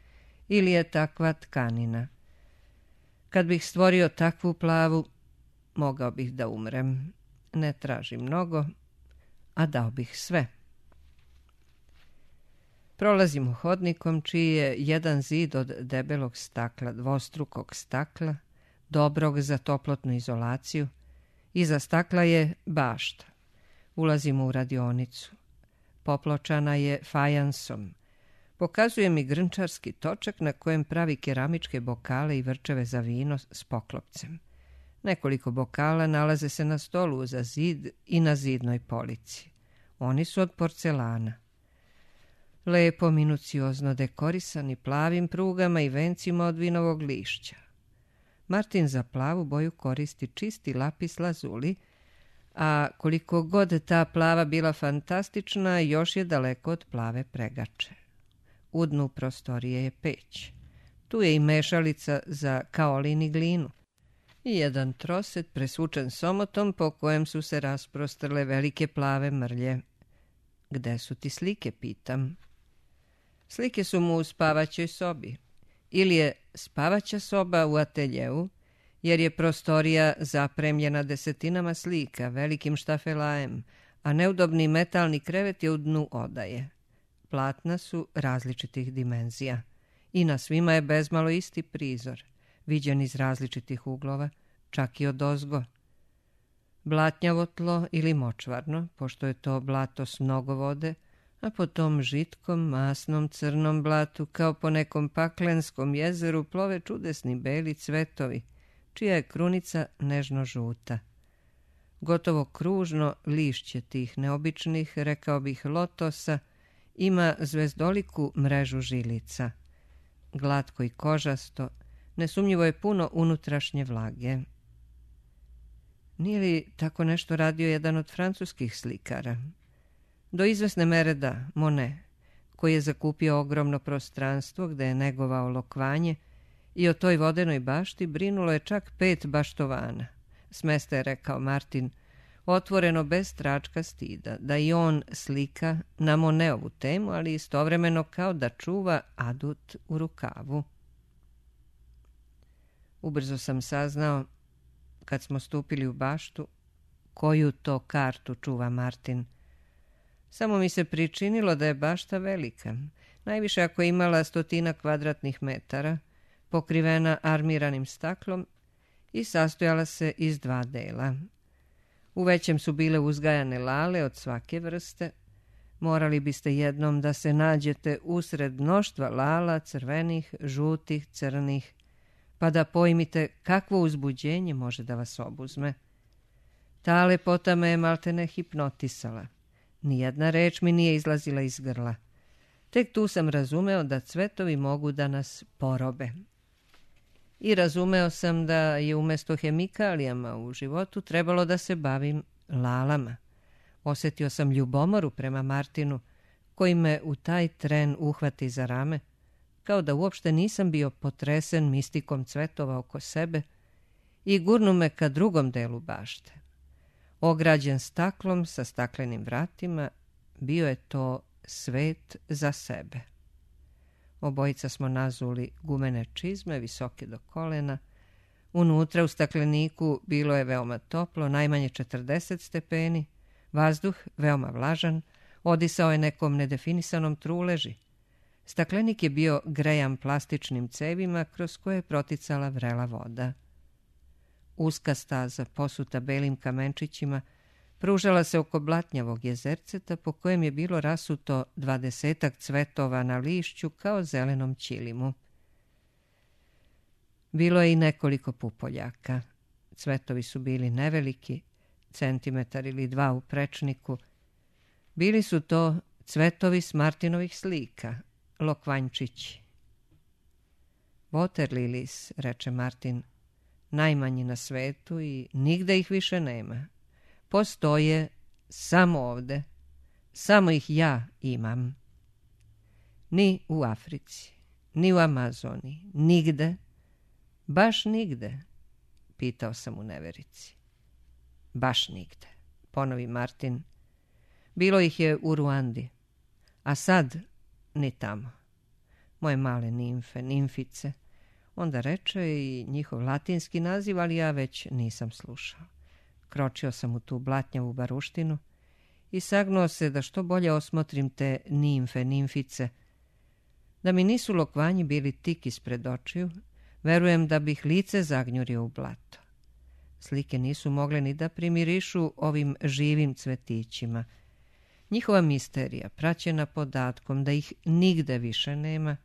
ili je takva tkanina. Kad bih stvorio takvu plavu, mogao bih da umrem. Ne tražim mnogo, a dao bih sve. Prolazimo hodnikom čiji je jedan zid od debelog stakla, dvostrukog stakla, dobrog za toplotnu izolaciju. Iza stakla je bašta. Ulazimo u radionicu. Popločana je fajansom. Pokazuje mi grnčarski točak na kojem pravi keramičke bokale i vrčeve za vino s poklopcem. Nekoliko bokala nalaze se na stolu za zid i na zidnoj polici. Oni su od porcelana. Lepo, minuciozno dekorisani plavim prugama i vencima od vinovog lišća. Martin za plavu boju koristi čisti lapis lazuli, a koliko god ta plava bila fantastična, još je daleko od plave pregače. U dnu prostorije je peć. Tu je i mešalica za kaolin i glinu. I jedan troset presvučen somotom po kojem su se rasprostrle velike plave mrlje. Gde su ti slike, pitam. Slike su mu u spavaćoj sobi. Ili je spavaća soba u ateljeu, jer je prostorija zapremljena desetinama slika, velikim štafelajem, a neudobni metalni krevet je u dnu odaje. Platna su različitih dimenzija i na svima je bezmalo isti prizor, viđen iz različitih uglova, čak i odozgo. Blatnjavo tlo ili močvarno, pošto je to blato s mnogo vode, a po tom žitkom, masnom, crnom blatu, kao po nekom paklenskom jezeru, plove čudesni beli cvetovi, čija je krunica nežno žuta. Gotovo kružno lišće tih neobičnih, rekao bih lotosa, ima zvezdoliku mrežu žilica. Glatko i kožasto, nesumnjivo je puno unutrašnje vlage. Nije li tako nešto radio jedan od francuskih slikara? Do izvesne mere da, Monet, koji je zakupio ogromno prostranstvo gde je negovao lokvanje i o toj vodenoj bašti brinulo je čak 5 baštovana. Smesta je, rekao Martin, otvoreno bez tračka stida, da i on slika na Moneovu temu, ali istovremeno kao da čuva adut u rukavu. Ubrzo sam saznao, kad smo stupili u baštu, koju to kartu čuva Martin. Samo mi se pričinilo da je bašta velika, najviše ako je imala 100 kvadratnih metara, pokrivena armiranim staklom i sastojala se iz 2 dela. U većem su bile uzgajane lale od svake vrste. Morali biste jednom da se nađete usred mnoštva lala, crvenih, žutih, crnih, pa da pojmite kakvo uzbuđenje može da vas obuzme. Ta lepota me je maltene hipnotisala. Nijedna reč mi nije izlazila iz grla. Tek tu sam razumeo da cvetovi mogu da nas porobe. I razumeo sam da je umjesto hemikalijama u životu trebalo da se bavim lalama. Osjetio sam ljubomoru prema Martinu, koji me u taj tren uhvati za rame, kao da uopšte nisam bio potresen mistikom cvetova oko sebe, i gurnu me ka drugom delu bašte. Ograđen staklom sa staklenim vratima, bio je to svet za sebe. Obojica smo nazuli gumene čizme, visoke do kolena. Unutra u stakleniku bilo je veoma toplo, najmanje 40 stepeni, vazduh veoma vlažan, odisao je nekom nedefinisanom truleži. Staklenik je bio grejan plastičnim cevima kroz koje je proticala vrela voda. Uska staza, posuta belim kamenčićima, pružala se oko blatnjavog jezerceta po kojem je bilo rasuto 20 cvetova na lišću kao zelenom ćilimu. Bilo je i nekoliko pupoljaka. Cvetovi su bili neveliki, centimetar ili 2 u prečniku. Bili su to cvetovi s Martinovih slika, lokvanjčići. Water lilies, reče Martin, najmanji na svetu i nigde ih više nema. Postoje samo ovde, samo ih ja imam. Ni u Africi, ni u Amazoni, nigde, baš nigde, pitao sam u neverici. Baš nigde, ponovi Martin. Bilo ih je u Ruandi, a sad ni tamo. Moje male nimfe, nimfice, Onda reče i njihov latinski naziv, ali ja već nisam slušao. Kročio sam u tu blatnjavu baruštinu i sagnuo se da što bolje osmotrim te nimfe, nimfice. Da mi nisu lokvanji bili tik ispred očiju, verujem da bih lice zagnjurio u blato. Slike nisu mogle ni da primirišu ovim živim cvetićima. Njihova misterija, praćena podatkom da ih nigde više nema,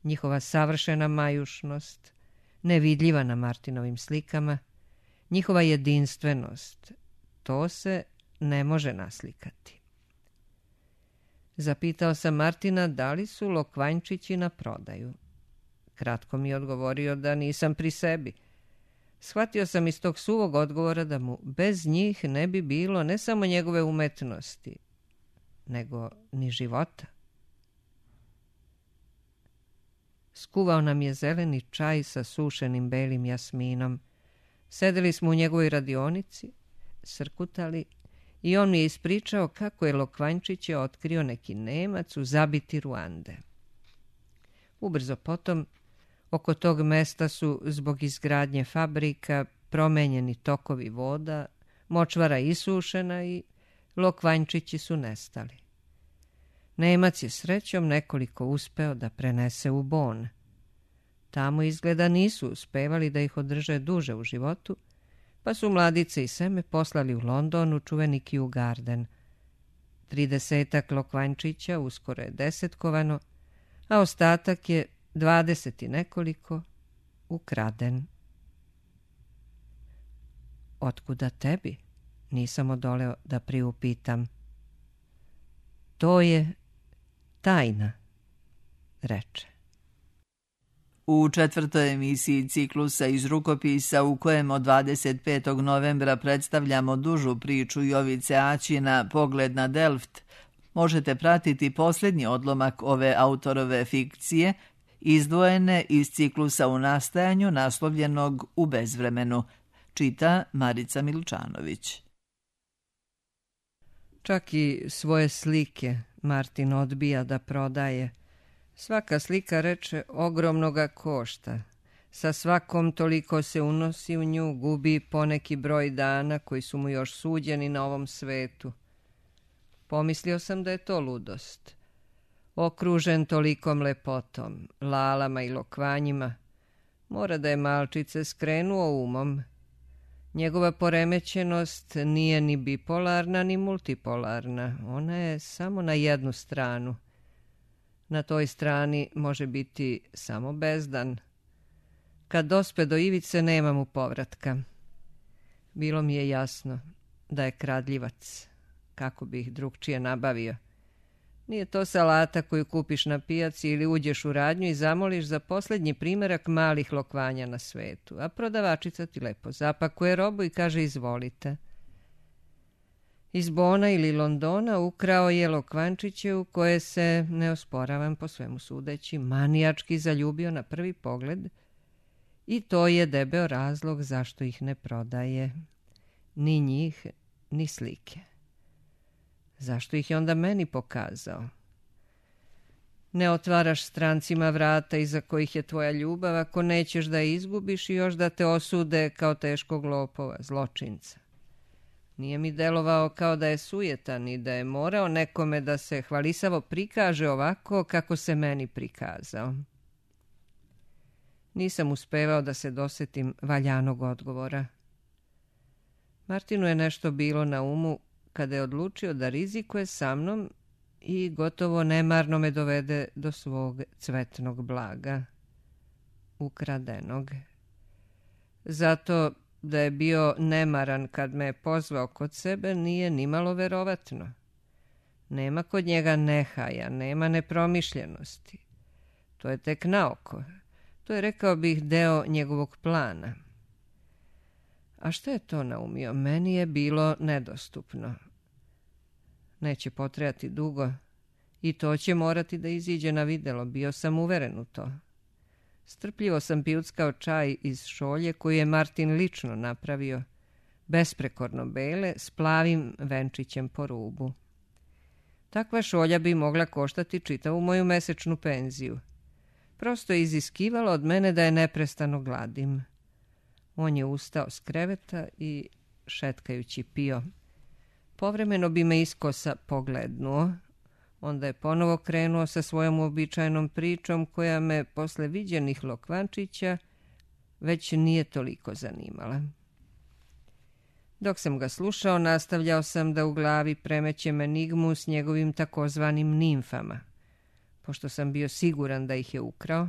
njihova savršena majušnost, nevidljiva na Martinovim slikama, njihova jedinstvenost, to se ne može naslikati. Zapitao sam Martina da li su lokvanjčići na prodaju. Kratko mi je odgovorio da nisam pri sebi. Shvatio sam iz tog suvog odgovora da mu bez njih ne bi bilo ne samo njegove umetnosti, nego ni života. Skuvao nam je zeleni čaj sa sušenim belim jasminom. Sedeli smo u njegovoj radionici, srkutali i on mi je ispričao kako je Lokvanjčiće otkrio neki Nemac u zabiti Ruande. Ubrzo potom, oko tog mesta su zbog izgradnje fabrika promenjeni tokovi voda, močvara isušena i Lokvanjčići su nestali. Nemac je srećom nekoliko uspeo da prenese u Bon. Tamo izgleda nisu uspevali da ih održe duže u životu, pa su mladice i seme poslali u London u čuveni Kew Garden. 30 Lokvanjčića uskoro je desetkovano, a ostatak je 20 i nekoliko ukraden. Otkuda tebi? Nisam odoleo da priupitam. To je tajna, reče. U 4. emisiji ciklusa iz rukopisa u kojem od 25. novembra predstavljamo dužu priču Jovice Aćina Pogled na Delft, možete pratiti posljednji odlomak ove autorove fikcije, izdvojene iz ciklusa u nastajanju naslovljenog U bezvremenu, čita Marica Milčanović. Čak i svoje slike Martin odbija da prodaje. Svaka slika, reče, ogromnoga košta. Sa svakom toliko se unosi u nju, gubi poneki broj dana koji su mu još suđeni na ovom svetu. Pomislio sam da je to ludost. Okružen tolikom lepotom, lalama i lokvanjima, mora da je malčice skrenuo umom. Njegova poremećenost nije ni bipolarna ni multipolarna, ona je samo na jednu stranu. Na toj strani može biti samo bezdan. Kad dospe do ivice nema mu povratka. Bilo mi je jasno da je kradljivac, kako bi ih drugčije nabavio. Nije to salata koju kupiš na pijaci ili uđeš u radnju i zamoliš za posljednji primerak malih lokvanja na svetu, a prodavačica ti lepo zapakuje robu i kaže izvolite. Iz Bona ili Londona ukrao je Lokvanjčiće u koje se, ne osporavam po svemu sudeći, manijački zaljubio na prvi pogled i to je debeo razlog zašto ih ne prodaje. Ni njih, ni slike. Zašto ih je onda meni pokazao? Ne otvaraš strancima vrata iza kojih je tvoja ljubav ako nećeš da je izgubiš i još da te osude kao teškog lopova, zločinca. Nije mi delovao kao da je sujetan i da je morao nekome da se hvalisavo prikaže ovako kako se meni prikazao. Nisam uspevao da se dosetim valjanog odgovora. Martinu je nešto bilo na umu kada je odlučio da rizikuje sa mnom i gotovo nemarno me dovede do svog cvetnog blaga, ukradenog. Zato da je bio nemaran kad me je pozvao kod sebe nije nimalo verovatno. Nema kod njega nehaja, nema nepromišljenosti. To je tek naoko. To je, rekao bih, deo njegovog plana. A što je to naumio? Meni je bilo nedostupno. Neće potrajati dugo i to će morati da iziđe na videlo. Bio sam uveren u to. Strpljivo sam pijuckao čaj iz šolje koju je Martin lično napravio, besprekorno bele, s plavim venčićem po rubu. Takva šolja bi mogla koštati čitavu moju mesečnu penziju. Prosto je iziskivalo od mene da je neprestano gladim. On je ustao s kreveta i šetkajući pio. Povremeno bi me iskosa poglednuo. Onda je ponovo krenuo sa svojom uobičajenom pričom koja me posle viđenih lokvančića već nije toliko zanimala. Dok sam ga slušao, nastavljao sam da u glavi premećem enigmu s njegovim takozvanim nimfama, pošto sam bio siguran da ih je ukrao,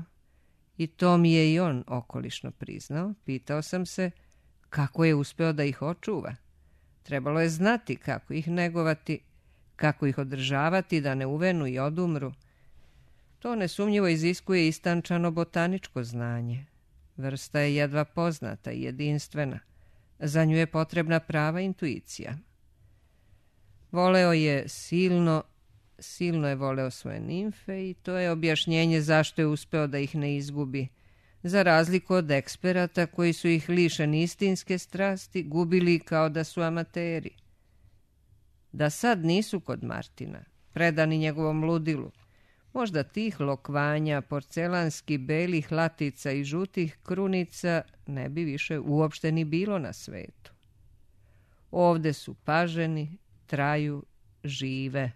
i to mi je i on okolišno priznao. Pitao sam se kako je uspeo da ih očuva. Trebalo je znati kako ih negovati, kako ih održavati da ne uvenu i odumru. To nesumnjivo iziskuje istančano botaničko znanje. Vrsta je jedva poznata i jedinstvena. Za nju je potrebna prava intuicija. Voleo je silno je voleo svoje nimfe i to je objašnjenje zašto je uspeo da ih ne izgubi, za razliku od eksperata koji su ih lišeni istinske strasti gubili kao da su amateri. Da sad nisu kod Martina, predani njegovom ludilu, možda tih lokvanja, porcelanski belih latica i žutih krunica ne bi više uopšte ni bilo na svetu. Ovde su paženi, traju, žive.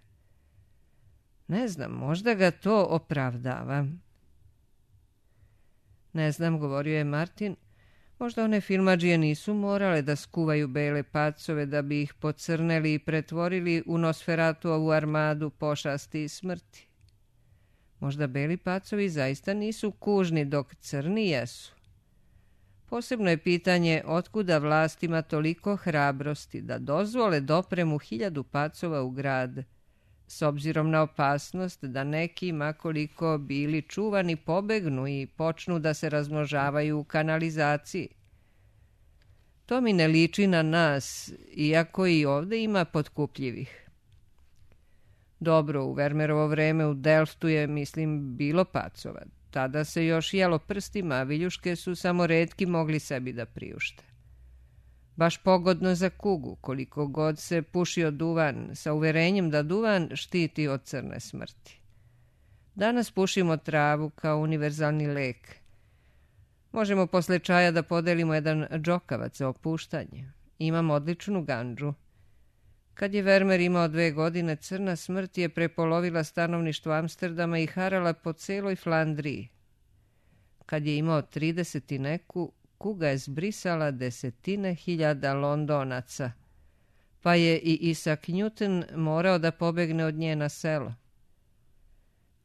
Ne znam, možda ga to opravdava. Ne znam, govorio je Martin, možda one filmadžije nisu morale da skuvaju bele pacove da bi ih pocrneli i pretvorili u Nosferatuovu armadu pošasti i smrti. Možda beli pacovi zaista nisu kužni dok crni jesu. Posebno je pitanje otkuda vlastima toliko hrabrosti da dozvole dopremu 1000 pacova u grad, s obzirom na opasnost da neki, makoliko bili čuvani, pobegnu i počnu da se razmnožavaju u kanalizaciji. To mi ne liči na nas, iako i ovde ima potkupljivih. Dobro, u Vermerovo vreme u Delftu je, mislim, bilo pacova. Tada se još jelo prstima, a viljuške su samo retki mogli sebi da priušte. Baš pogodno za kugu, koliko god se pušio duvan, sa uverenjem da duvan štiti od crne smrti. Danas pušimo travu kao univerzalni lek. Možemo posle čaja da podelimo jedan džokavac za opuštanje. Imam odličnu gandžu. Kad je Vermeer imao 2 godine, crna smrt je prepolovila stanovništvo Amsterdama i harala po celoj Flandriji. Kad je imao 30 i neku, kuga je zbrisala 10.000 Londonaca, pa je i Isaac Newton morao da pobegne od nje na selo.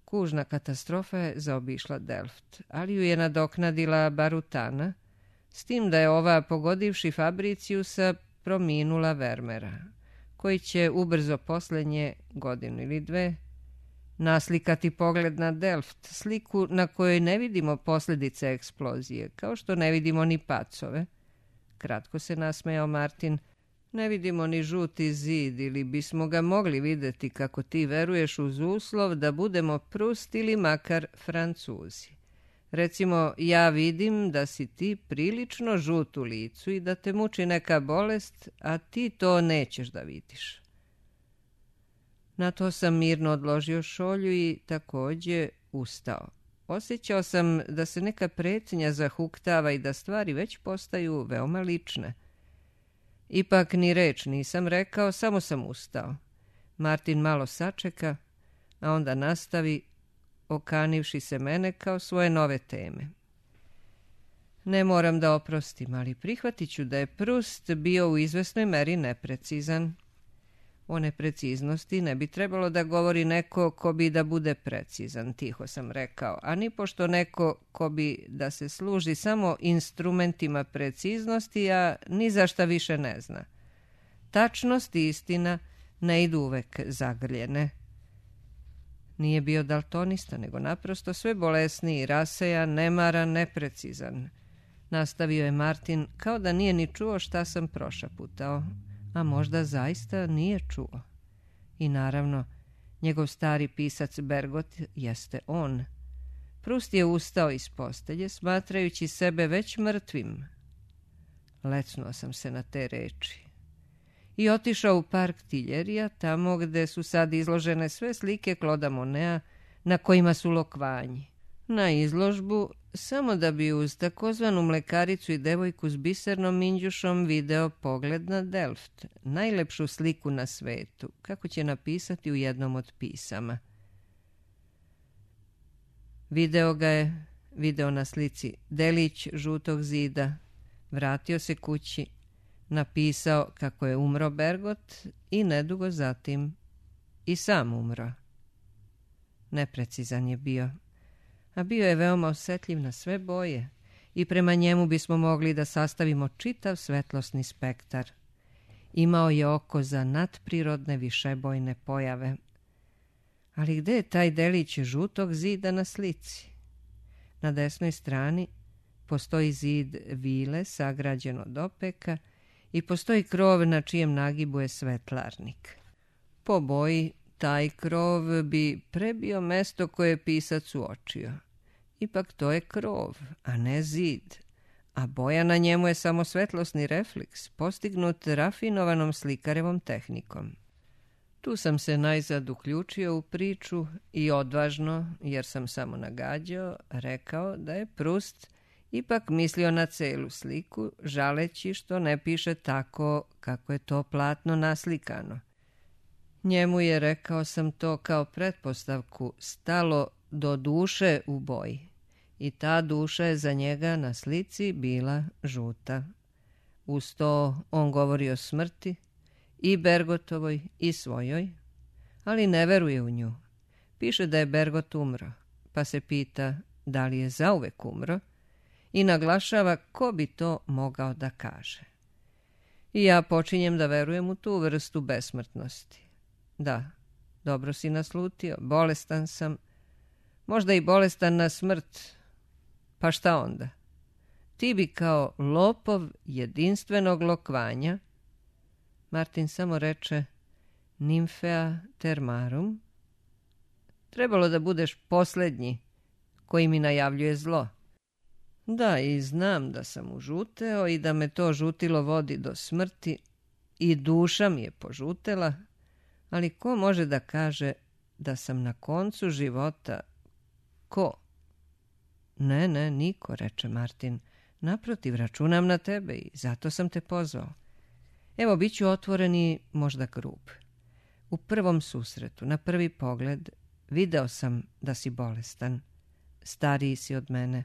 Kužna katastrofa je zaobišla Delft, ali ju je nadoknadila Barutana, s tim da je ova, pogodivši Fabriciusa, prominula Vermeera, koji će ubrzo posle nje, 1 godinu ili 2, naslikati pogled na Delft, sliku na kojoj ne vidimo posljedice eksplozije, kao što ne vidimo ni pacove. Kratko se nasmejao Martin. Ne vidimo ni žuti zid, ili bismo ga mogli videti kako ti veruješ uz uslov da budemo Prust ili makar Francuzi. Recimo, ja vidim da si ti prilično žut u licu i da te muči neka bolest, a ti to nećeš da vidiš. Na to sam mirno odložio šolju i takođe ustao. Osjećao sam da se neka pretnja zahuktava i da stvari već postaju veoma lične. Ipak ni reč nisam rekao, samo sam ustao. Martin malo sačeka, a onda nastavi, okanivši se mene kao svoje nove teme. Ne moram da oprostim, ali prihvatit ću da je Prust bio u izvesnoj meri neprecizan. O nepreciznosti ne bi trebalo da govori neko ko bi da bude precizan, tiho sam rekao, a ni pošto neko ko bi da se služi samo instrumentima preciznosti, a ni za šta više ne zna. Tačnost i istina ne idu uvek zagrljene. Nije bio daltonista, nego naprosto sve bolesniji, rasejan, nemaran, neprecizan. Nastavio je Martin kao da nije ni čuo šta sam prošaputao. A možda zaista nije čuo. I naravno, njegov stari pisac Bergot jeste on. Prust je ustao iz postelje, smatrajući sebe već mrtvim. Lecnuo sam se na te reči. I otišao u park Tiljerija, tamo gde su sad izložene sve slike Claude'a Moneta na kojima su lokvanji. na izložbu samo da bi uz takozvanu mlekaricu i devojku s bisernom minđušom video pogled na Delft, najlepšu sliku na svetu, kako će napisati u jednom od pisama. Video ga je, video na slici delić žutog zida, vratio se kući, napisao kako je umro Bergot i nedugo zatim i sam umro. Neprecizan je bio, a bio je veoma osjetljiv na sve boje i prema njemu bismo mogli da sastavimo čitav svetlosni spektar. Imao je oko za nadprirodne višebojne pojave. Ali gde je taj delić žutog zida na slici? Na desnoj strani postoji zid vile sagrađen od opeka i postoji krov na čijem nagibu je svetlarnik. Po boji taj krov bi prebio mesto koje je pisac uočio. Ipak to je krov, a ne zid, a boja na njemu je samo svetlosni refleks, postignut rafinovanom slikarevom tehnikom. Tu sam se najzad uključio u priču i odvažno, jer sam samo nagađao, rekao da je Prust ipak mislio na celu sliku, žaleći što ne piše tako kako je to platno naslikano. Njemu je, rekao sam to kao pretpostavku, stalo do duše u boji i ta duša je za njega na slici bila žuta. Uz to on govori o smrti, i Bergotovoj i svojoj, ali ne veruje u nju. Piše da je Bergot umro, pa se pita da li je zauvek umro i naglašava ko bi to mogao da kaže. I ja počinjem da verujem u tu vrstu besmrtnosti. Da, dobro si naslutio, bolestan sam, možda i bolestan na smrt, pa šta onda? Ti bi kao lopov jedinstvenog lokvanja, Martin samo reče Nymphea termarum, trebalo da budeš posljednji koji mi najavljuje zlo. Da, i znam da sam užuteo i da me to žutilo vodi do smrti i duša mi je požutela, ali ko može da kaže da sam na koncu života? Ko? Ne, niko, reče Martin. Naprotiv, računam na tebe i zato sam te pozvao. Evo, bit ću otvoren i možda grub. U prvom susretu, na prvi pogled, video sam da si bolestan. Stariji si od mene.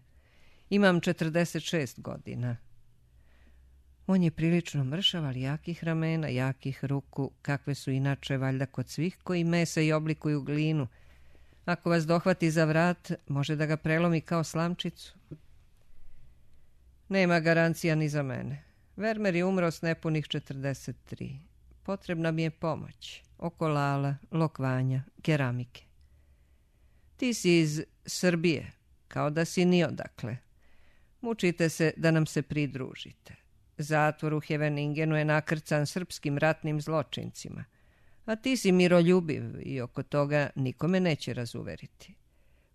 Imam 46 godina. On je prilično mršav, ali jakih ramena, jakih ruku, kakve su inače valjda kod svih koji mese i oblikuju glinu. Ako vas dohvati za vrat, može da ga prelomi kao slamčicu. Nema garancija ni za mene. Vermeer je umro s nepunih 43. Potrebna mi je pomoć. Oko lala, lokvanja, keramike. Ti si iz Srbije, kao da si ni odakle. Mučite se da nam se pridružite. Zatvor u Heveningenu je nakrcan srpskim ratnim zločincima. A ti si miroljubiv i oko toga nikome neće razuveriti.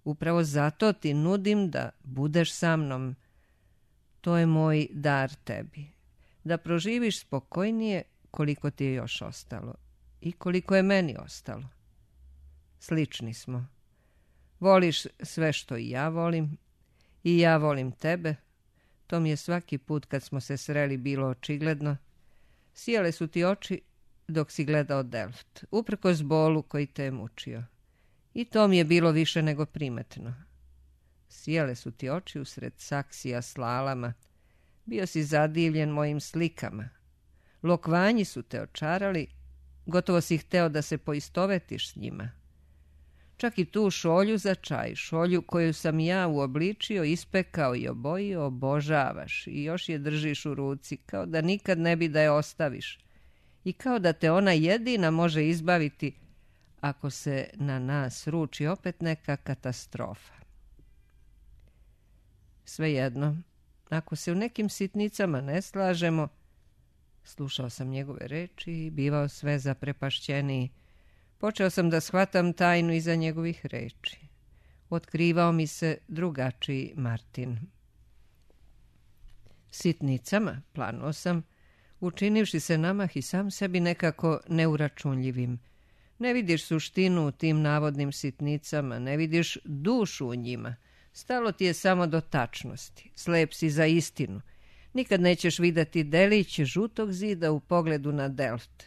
Upravo zato ti nudim da budeš sa mnom. To je moj dar tebi. Da proživiš spokojnije koliko ti je još ostalo i koliko je meni ostalo. Slični smo. Voliš sve što i ja volim i ja volim tebe. To mi je svaki put kad smo se sreli bilo očigledno. Sijale su ti oči dok si gledao Delft, uprkos bolu koji te je mučio. I to mi je bilo više nego primetno. Sijale su ti oči usred saksija s lalama. Bio si zadivljen mojim slikama. Lokvanji su te očarali, gotovo si hteo da se poistovetiš s njima. Čak i tu šolju za čaj, šolju koju sam ja uobličio, ispekao i obojio, obožavaš i još je držiš u ruci, kao da nikad ne bi da je ostaviš. I kao da te ona jedina može izbaviti ako se na nas ruči opet neka katastrofa. Svejedno, ako se u nekim sitnicama ne slažemo, slušao sam njegove reči i bivao sve zaprepašćeniji. Počeo sam da shvatam tajnu iza njegovih reči. Otkrivao mi se drugačiji Martin. Sitnicama, planuo sam, učinivši se namah i sam sebi nekako neuračunljivim. Ne vidiš suštinu u tim navodnim sitnicama, ne vidiš dušu u njima. Stalo ti je samo do tačnosti, slep si za istinu. Nikad nećeš vidjeti delić žutog zida u pogledu na Delft.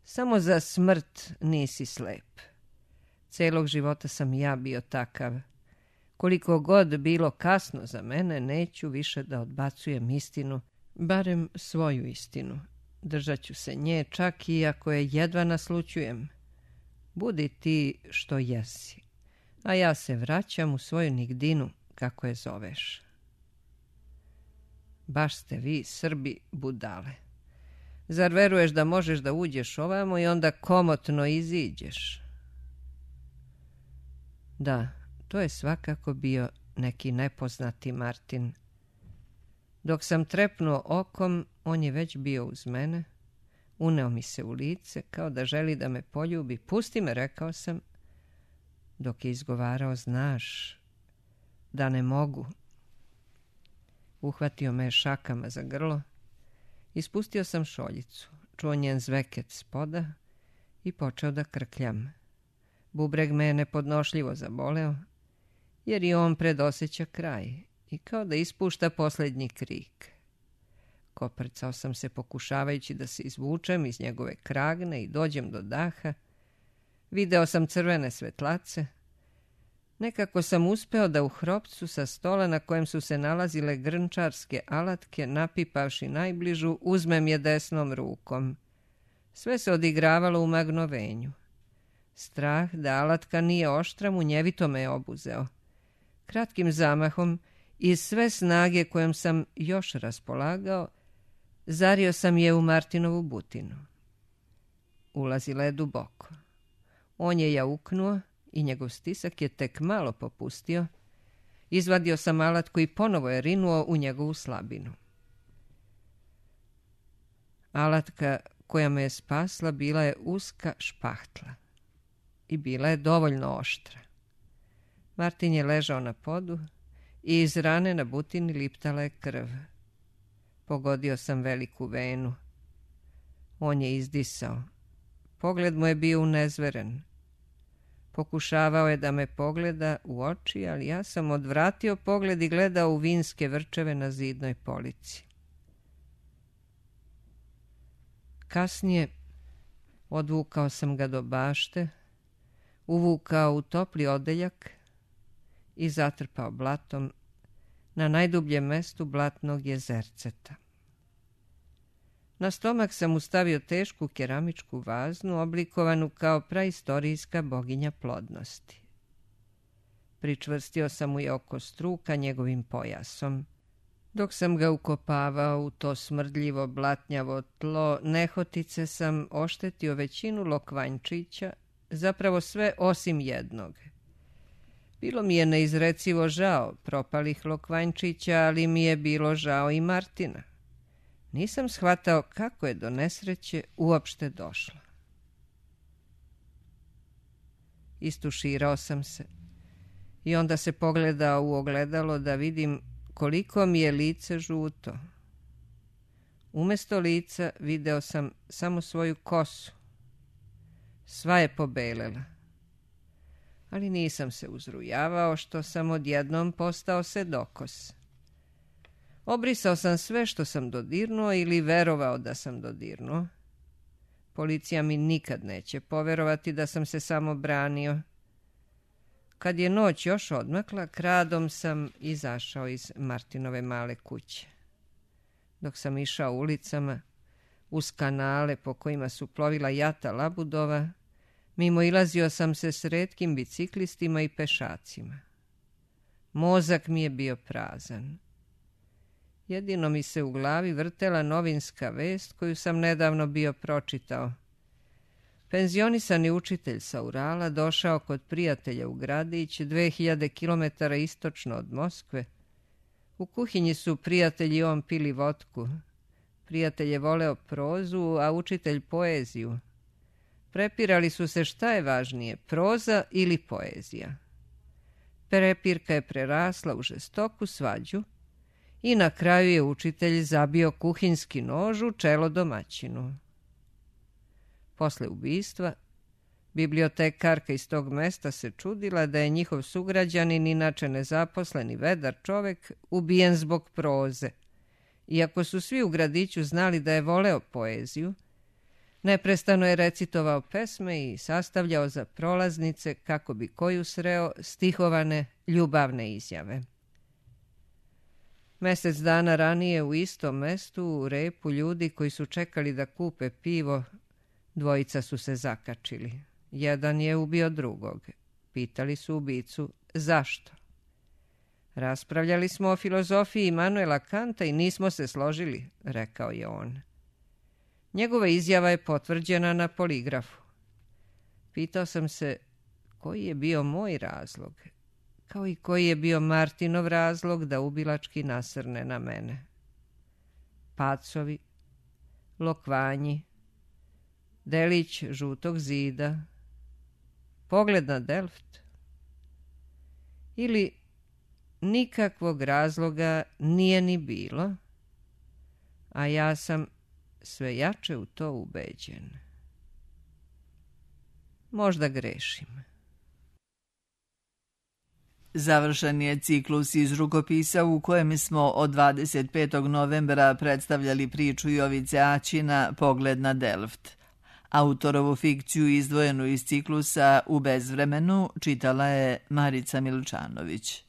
Samo za smrt nisi slep. Celog života sam ja bio takav. Koliko god bilo kasno za mene, neću više da odbacujem istinu, barem svoju istinu. Držat ću se nje čak i ako je jedva naslućujem. Budi ti što jesi, a ja se vraćam u svoju nigdinu, kako je zoveš. Baš ste vi, Srbi, budale. Zar veruješ da možeš da uđeš ovamo i onda komotno iziđeš? Da, to je svakako bio neki nepoznati Martin. Dok sam trepnuo okom, on je već bio uz mene. Uneo mi se u lice, kao da želi da me poljubi. Pusti me, rekao sam, dok je izgovarao, znaš da ne mogu. Uhvatio me šakama za grlo. Ispustio sam šoljicu, čuo njen zveket spoda i počeo da krkljam. Bubreg me je nepodnošljivo zaboleo, jer i on predosjeća kraj i kao da ispušta posljednji krik. Koprcao sam se pokušavajući da se izvučem iz njegove kragne i dođem do daha. Video sam crvene svetlace. Nekako sam uspeo da u hropcu sa stola na kojem su se nalazile grnčarske alatke, napipavši najbližu, uzmem je desnom rukom. Sve se odigravalo u magnovenju. Strah da alatka nije oštra munjevito me je obuzeo. Kratkim zamahom, iz sve snage kojom sam još raspolagao, zario sam je u Martinovu butinu. Ulazila je duboko. On je jauknuo i njegov stisak je tek malo popustio. Izvadio sam alatku i ponovo je rinuo u njegovu slabinu. Alatka koja me je spasla bila je uska špahtla i bila je dovoljno oštra. Martin je ležao na podu i iz rane na butini liptala je krv. Pogodio sam veliku venu. On je izdisao. Pogled mu je bio unezveren. Pokušavao je da me pogleda u oči, ali ja sam odvratio pogled i gledao u vinske vrčeve na zidnoj polici. Kasnije odvukao sam ga do bašte, uvukao u topli odeljak i zatrpao blatom na najdubljem mestu blatnog jezerceta. Na stomak sam mu stavio tešku keramičku vaznu, oblikovanu kao praistorijska boginja plodnosti. Pričvrstio sam mu je oko struka njegovim pojasom. Dok sam ga ukopavao u to smrdljivo blatnjavo tlo, nehotice sam oštetio većinu lokvanjčića, zapravo sve osim jednog. Bilo mi je neizrecivo žao propalih lokvanjčića, ali mi je bilo žao i Martina. Nisam shvatao kako je do nesreće uopšte došla. Istuširao sam se i onda se pogledao u ogledalo da vidim koliko mi je lice žuto. Umesto lica video sam samo svoju kosu. Sva je pobelela. Ali nisam se uzrujavao što sam odjednom postao sedokos. Obrisao sam sve što sam dodirnuo ili verovao da sam dodirnuo. Policija mi nikad neće poverovati da sam se samo branio. Kad je noć još odmakla, kradom sam izašao iz Martinove male kuće. Dok sam išao ulicama, uz kanale po kojima su plovila jata labudova, mimo ilazio sam se s retkim biciklistima i pešacima. Mozak mi je bio prazan. Jedino mi se u glavi vrtela novinska vest koju sam nedavno bio pročitao. Penzionisani učitelj sa Urala došao kod prijatelja u gradić 2000 km istočno od Moskve. U kuhinji su prijatelji i on pili vodku. Prijatelj je voleo prozu, a učitelj poeziju. Prepirali su se šta je važnije, proza ili poezija. Prepirka je prerasla u žestoku svađu i na kraju je učitelj zabio kuhinjski nož u čelo domaćinu. Posle ubistva Bibliotekarka iz tog mesta se čudila da je njihov sugrađanin, inače nezaposleni vedar čovek, ubijen zbog proze. Iako su svi u gradiću znali da je voleo poeziju, neprestano je recitovao pesme i sastavljao za prolaznice, kako bi koju sreo, stihovane ljubavne izjave. Mesec dana ranije u istom mestu, u repu ljudi koji su čekali da kupe pivo, dvojica su se zakačili. Jedan je ubio drugog. Pitali su ubicu zašto. Raspravljali smo o filozofiji Immanuela Kanta i nismo se složili, rekao je on. Njegova izjava je potvrđena na poligrafu. Pitao sam se koji je bio moj razlog, kao i koji je bio Martinov razlog da ubilački nasrne na mene. Pacovi, lokvanji, delić žutog zida, pogled na Delft, ili nikakvog razloga nije ni bilo, a ja sam sve jače u to ubeđen. Možda grešim. Završen je ciklus iz rukopisa u kojem smo od 25. novembra predstavljali priču Jovice Aćina Pogled na Delft. Autorovu fikciju izdvojenu iz ciklusa U bezvremenu čitala je Marica Milčanović.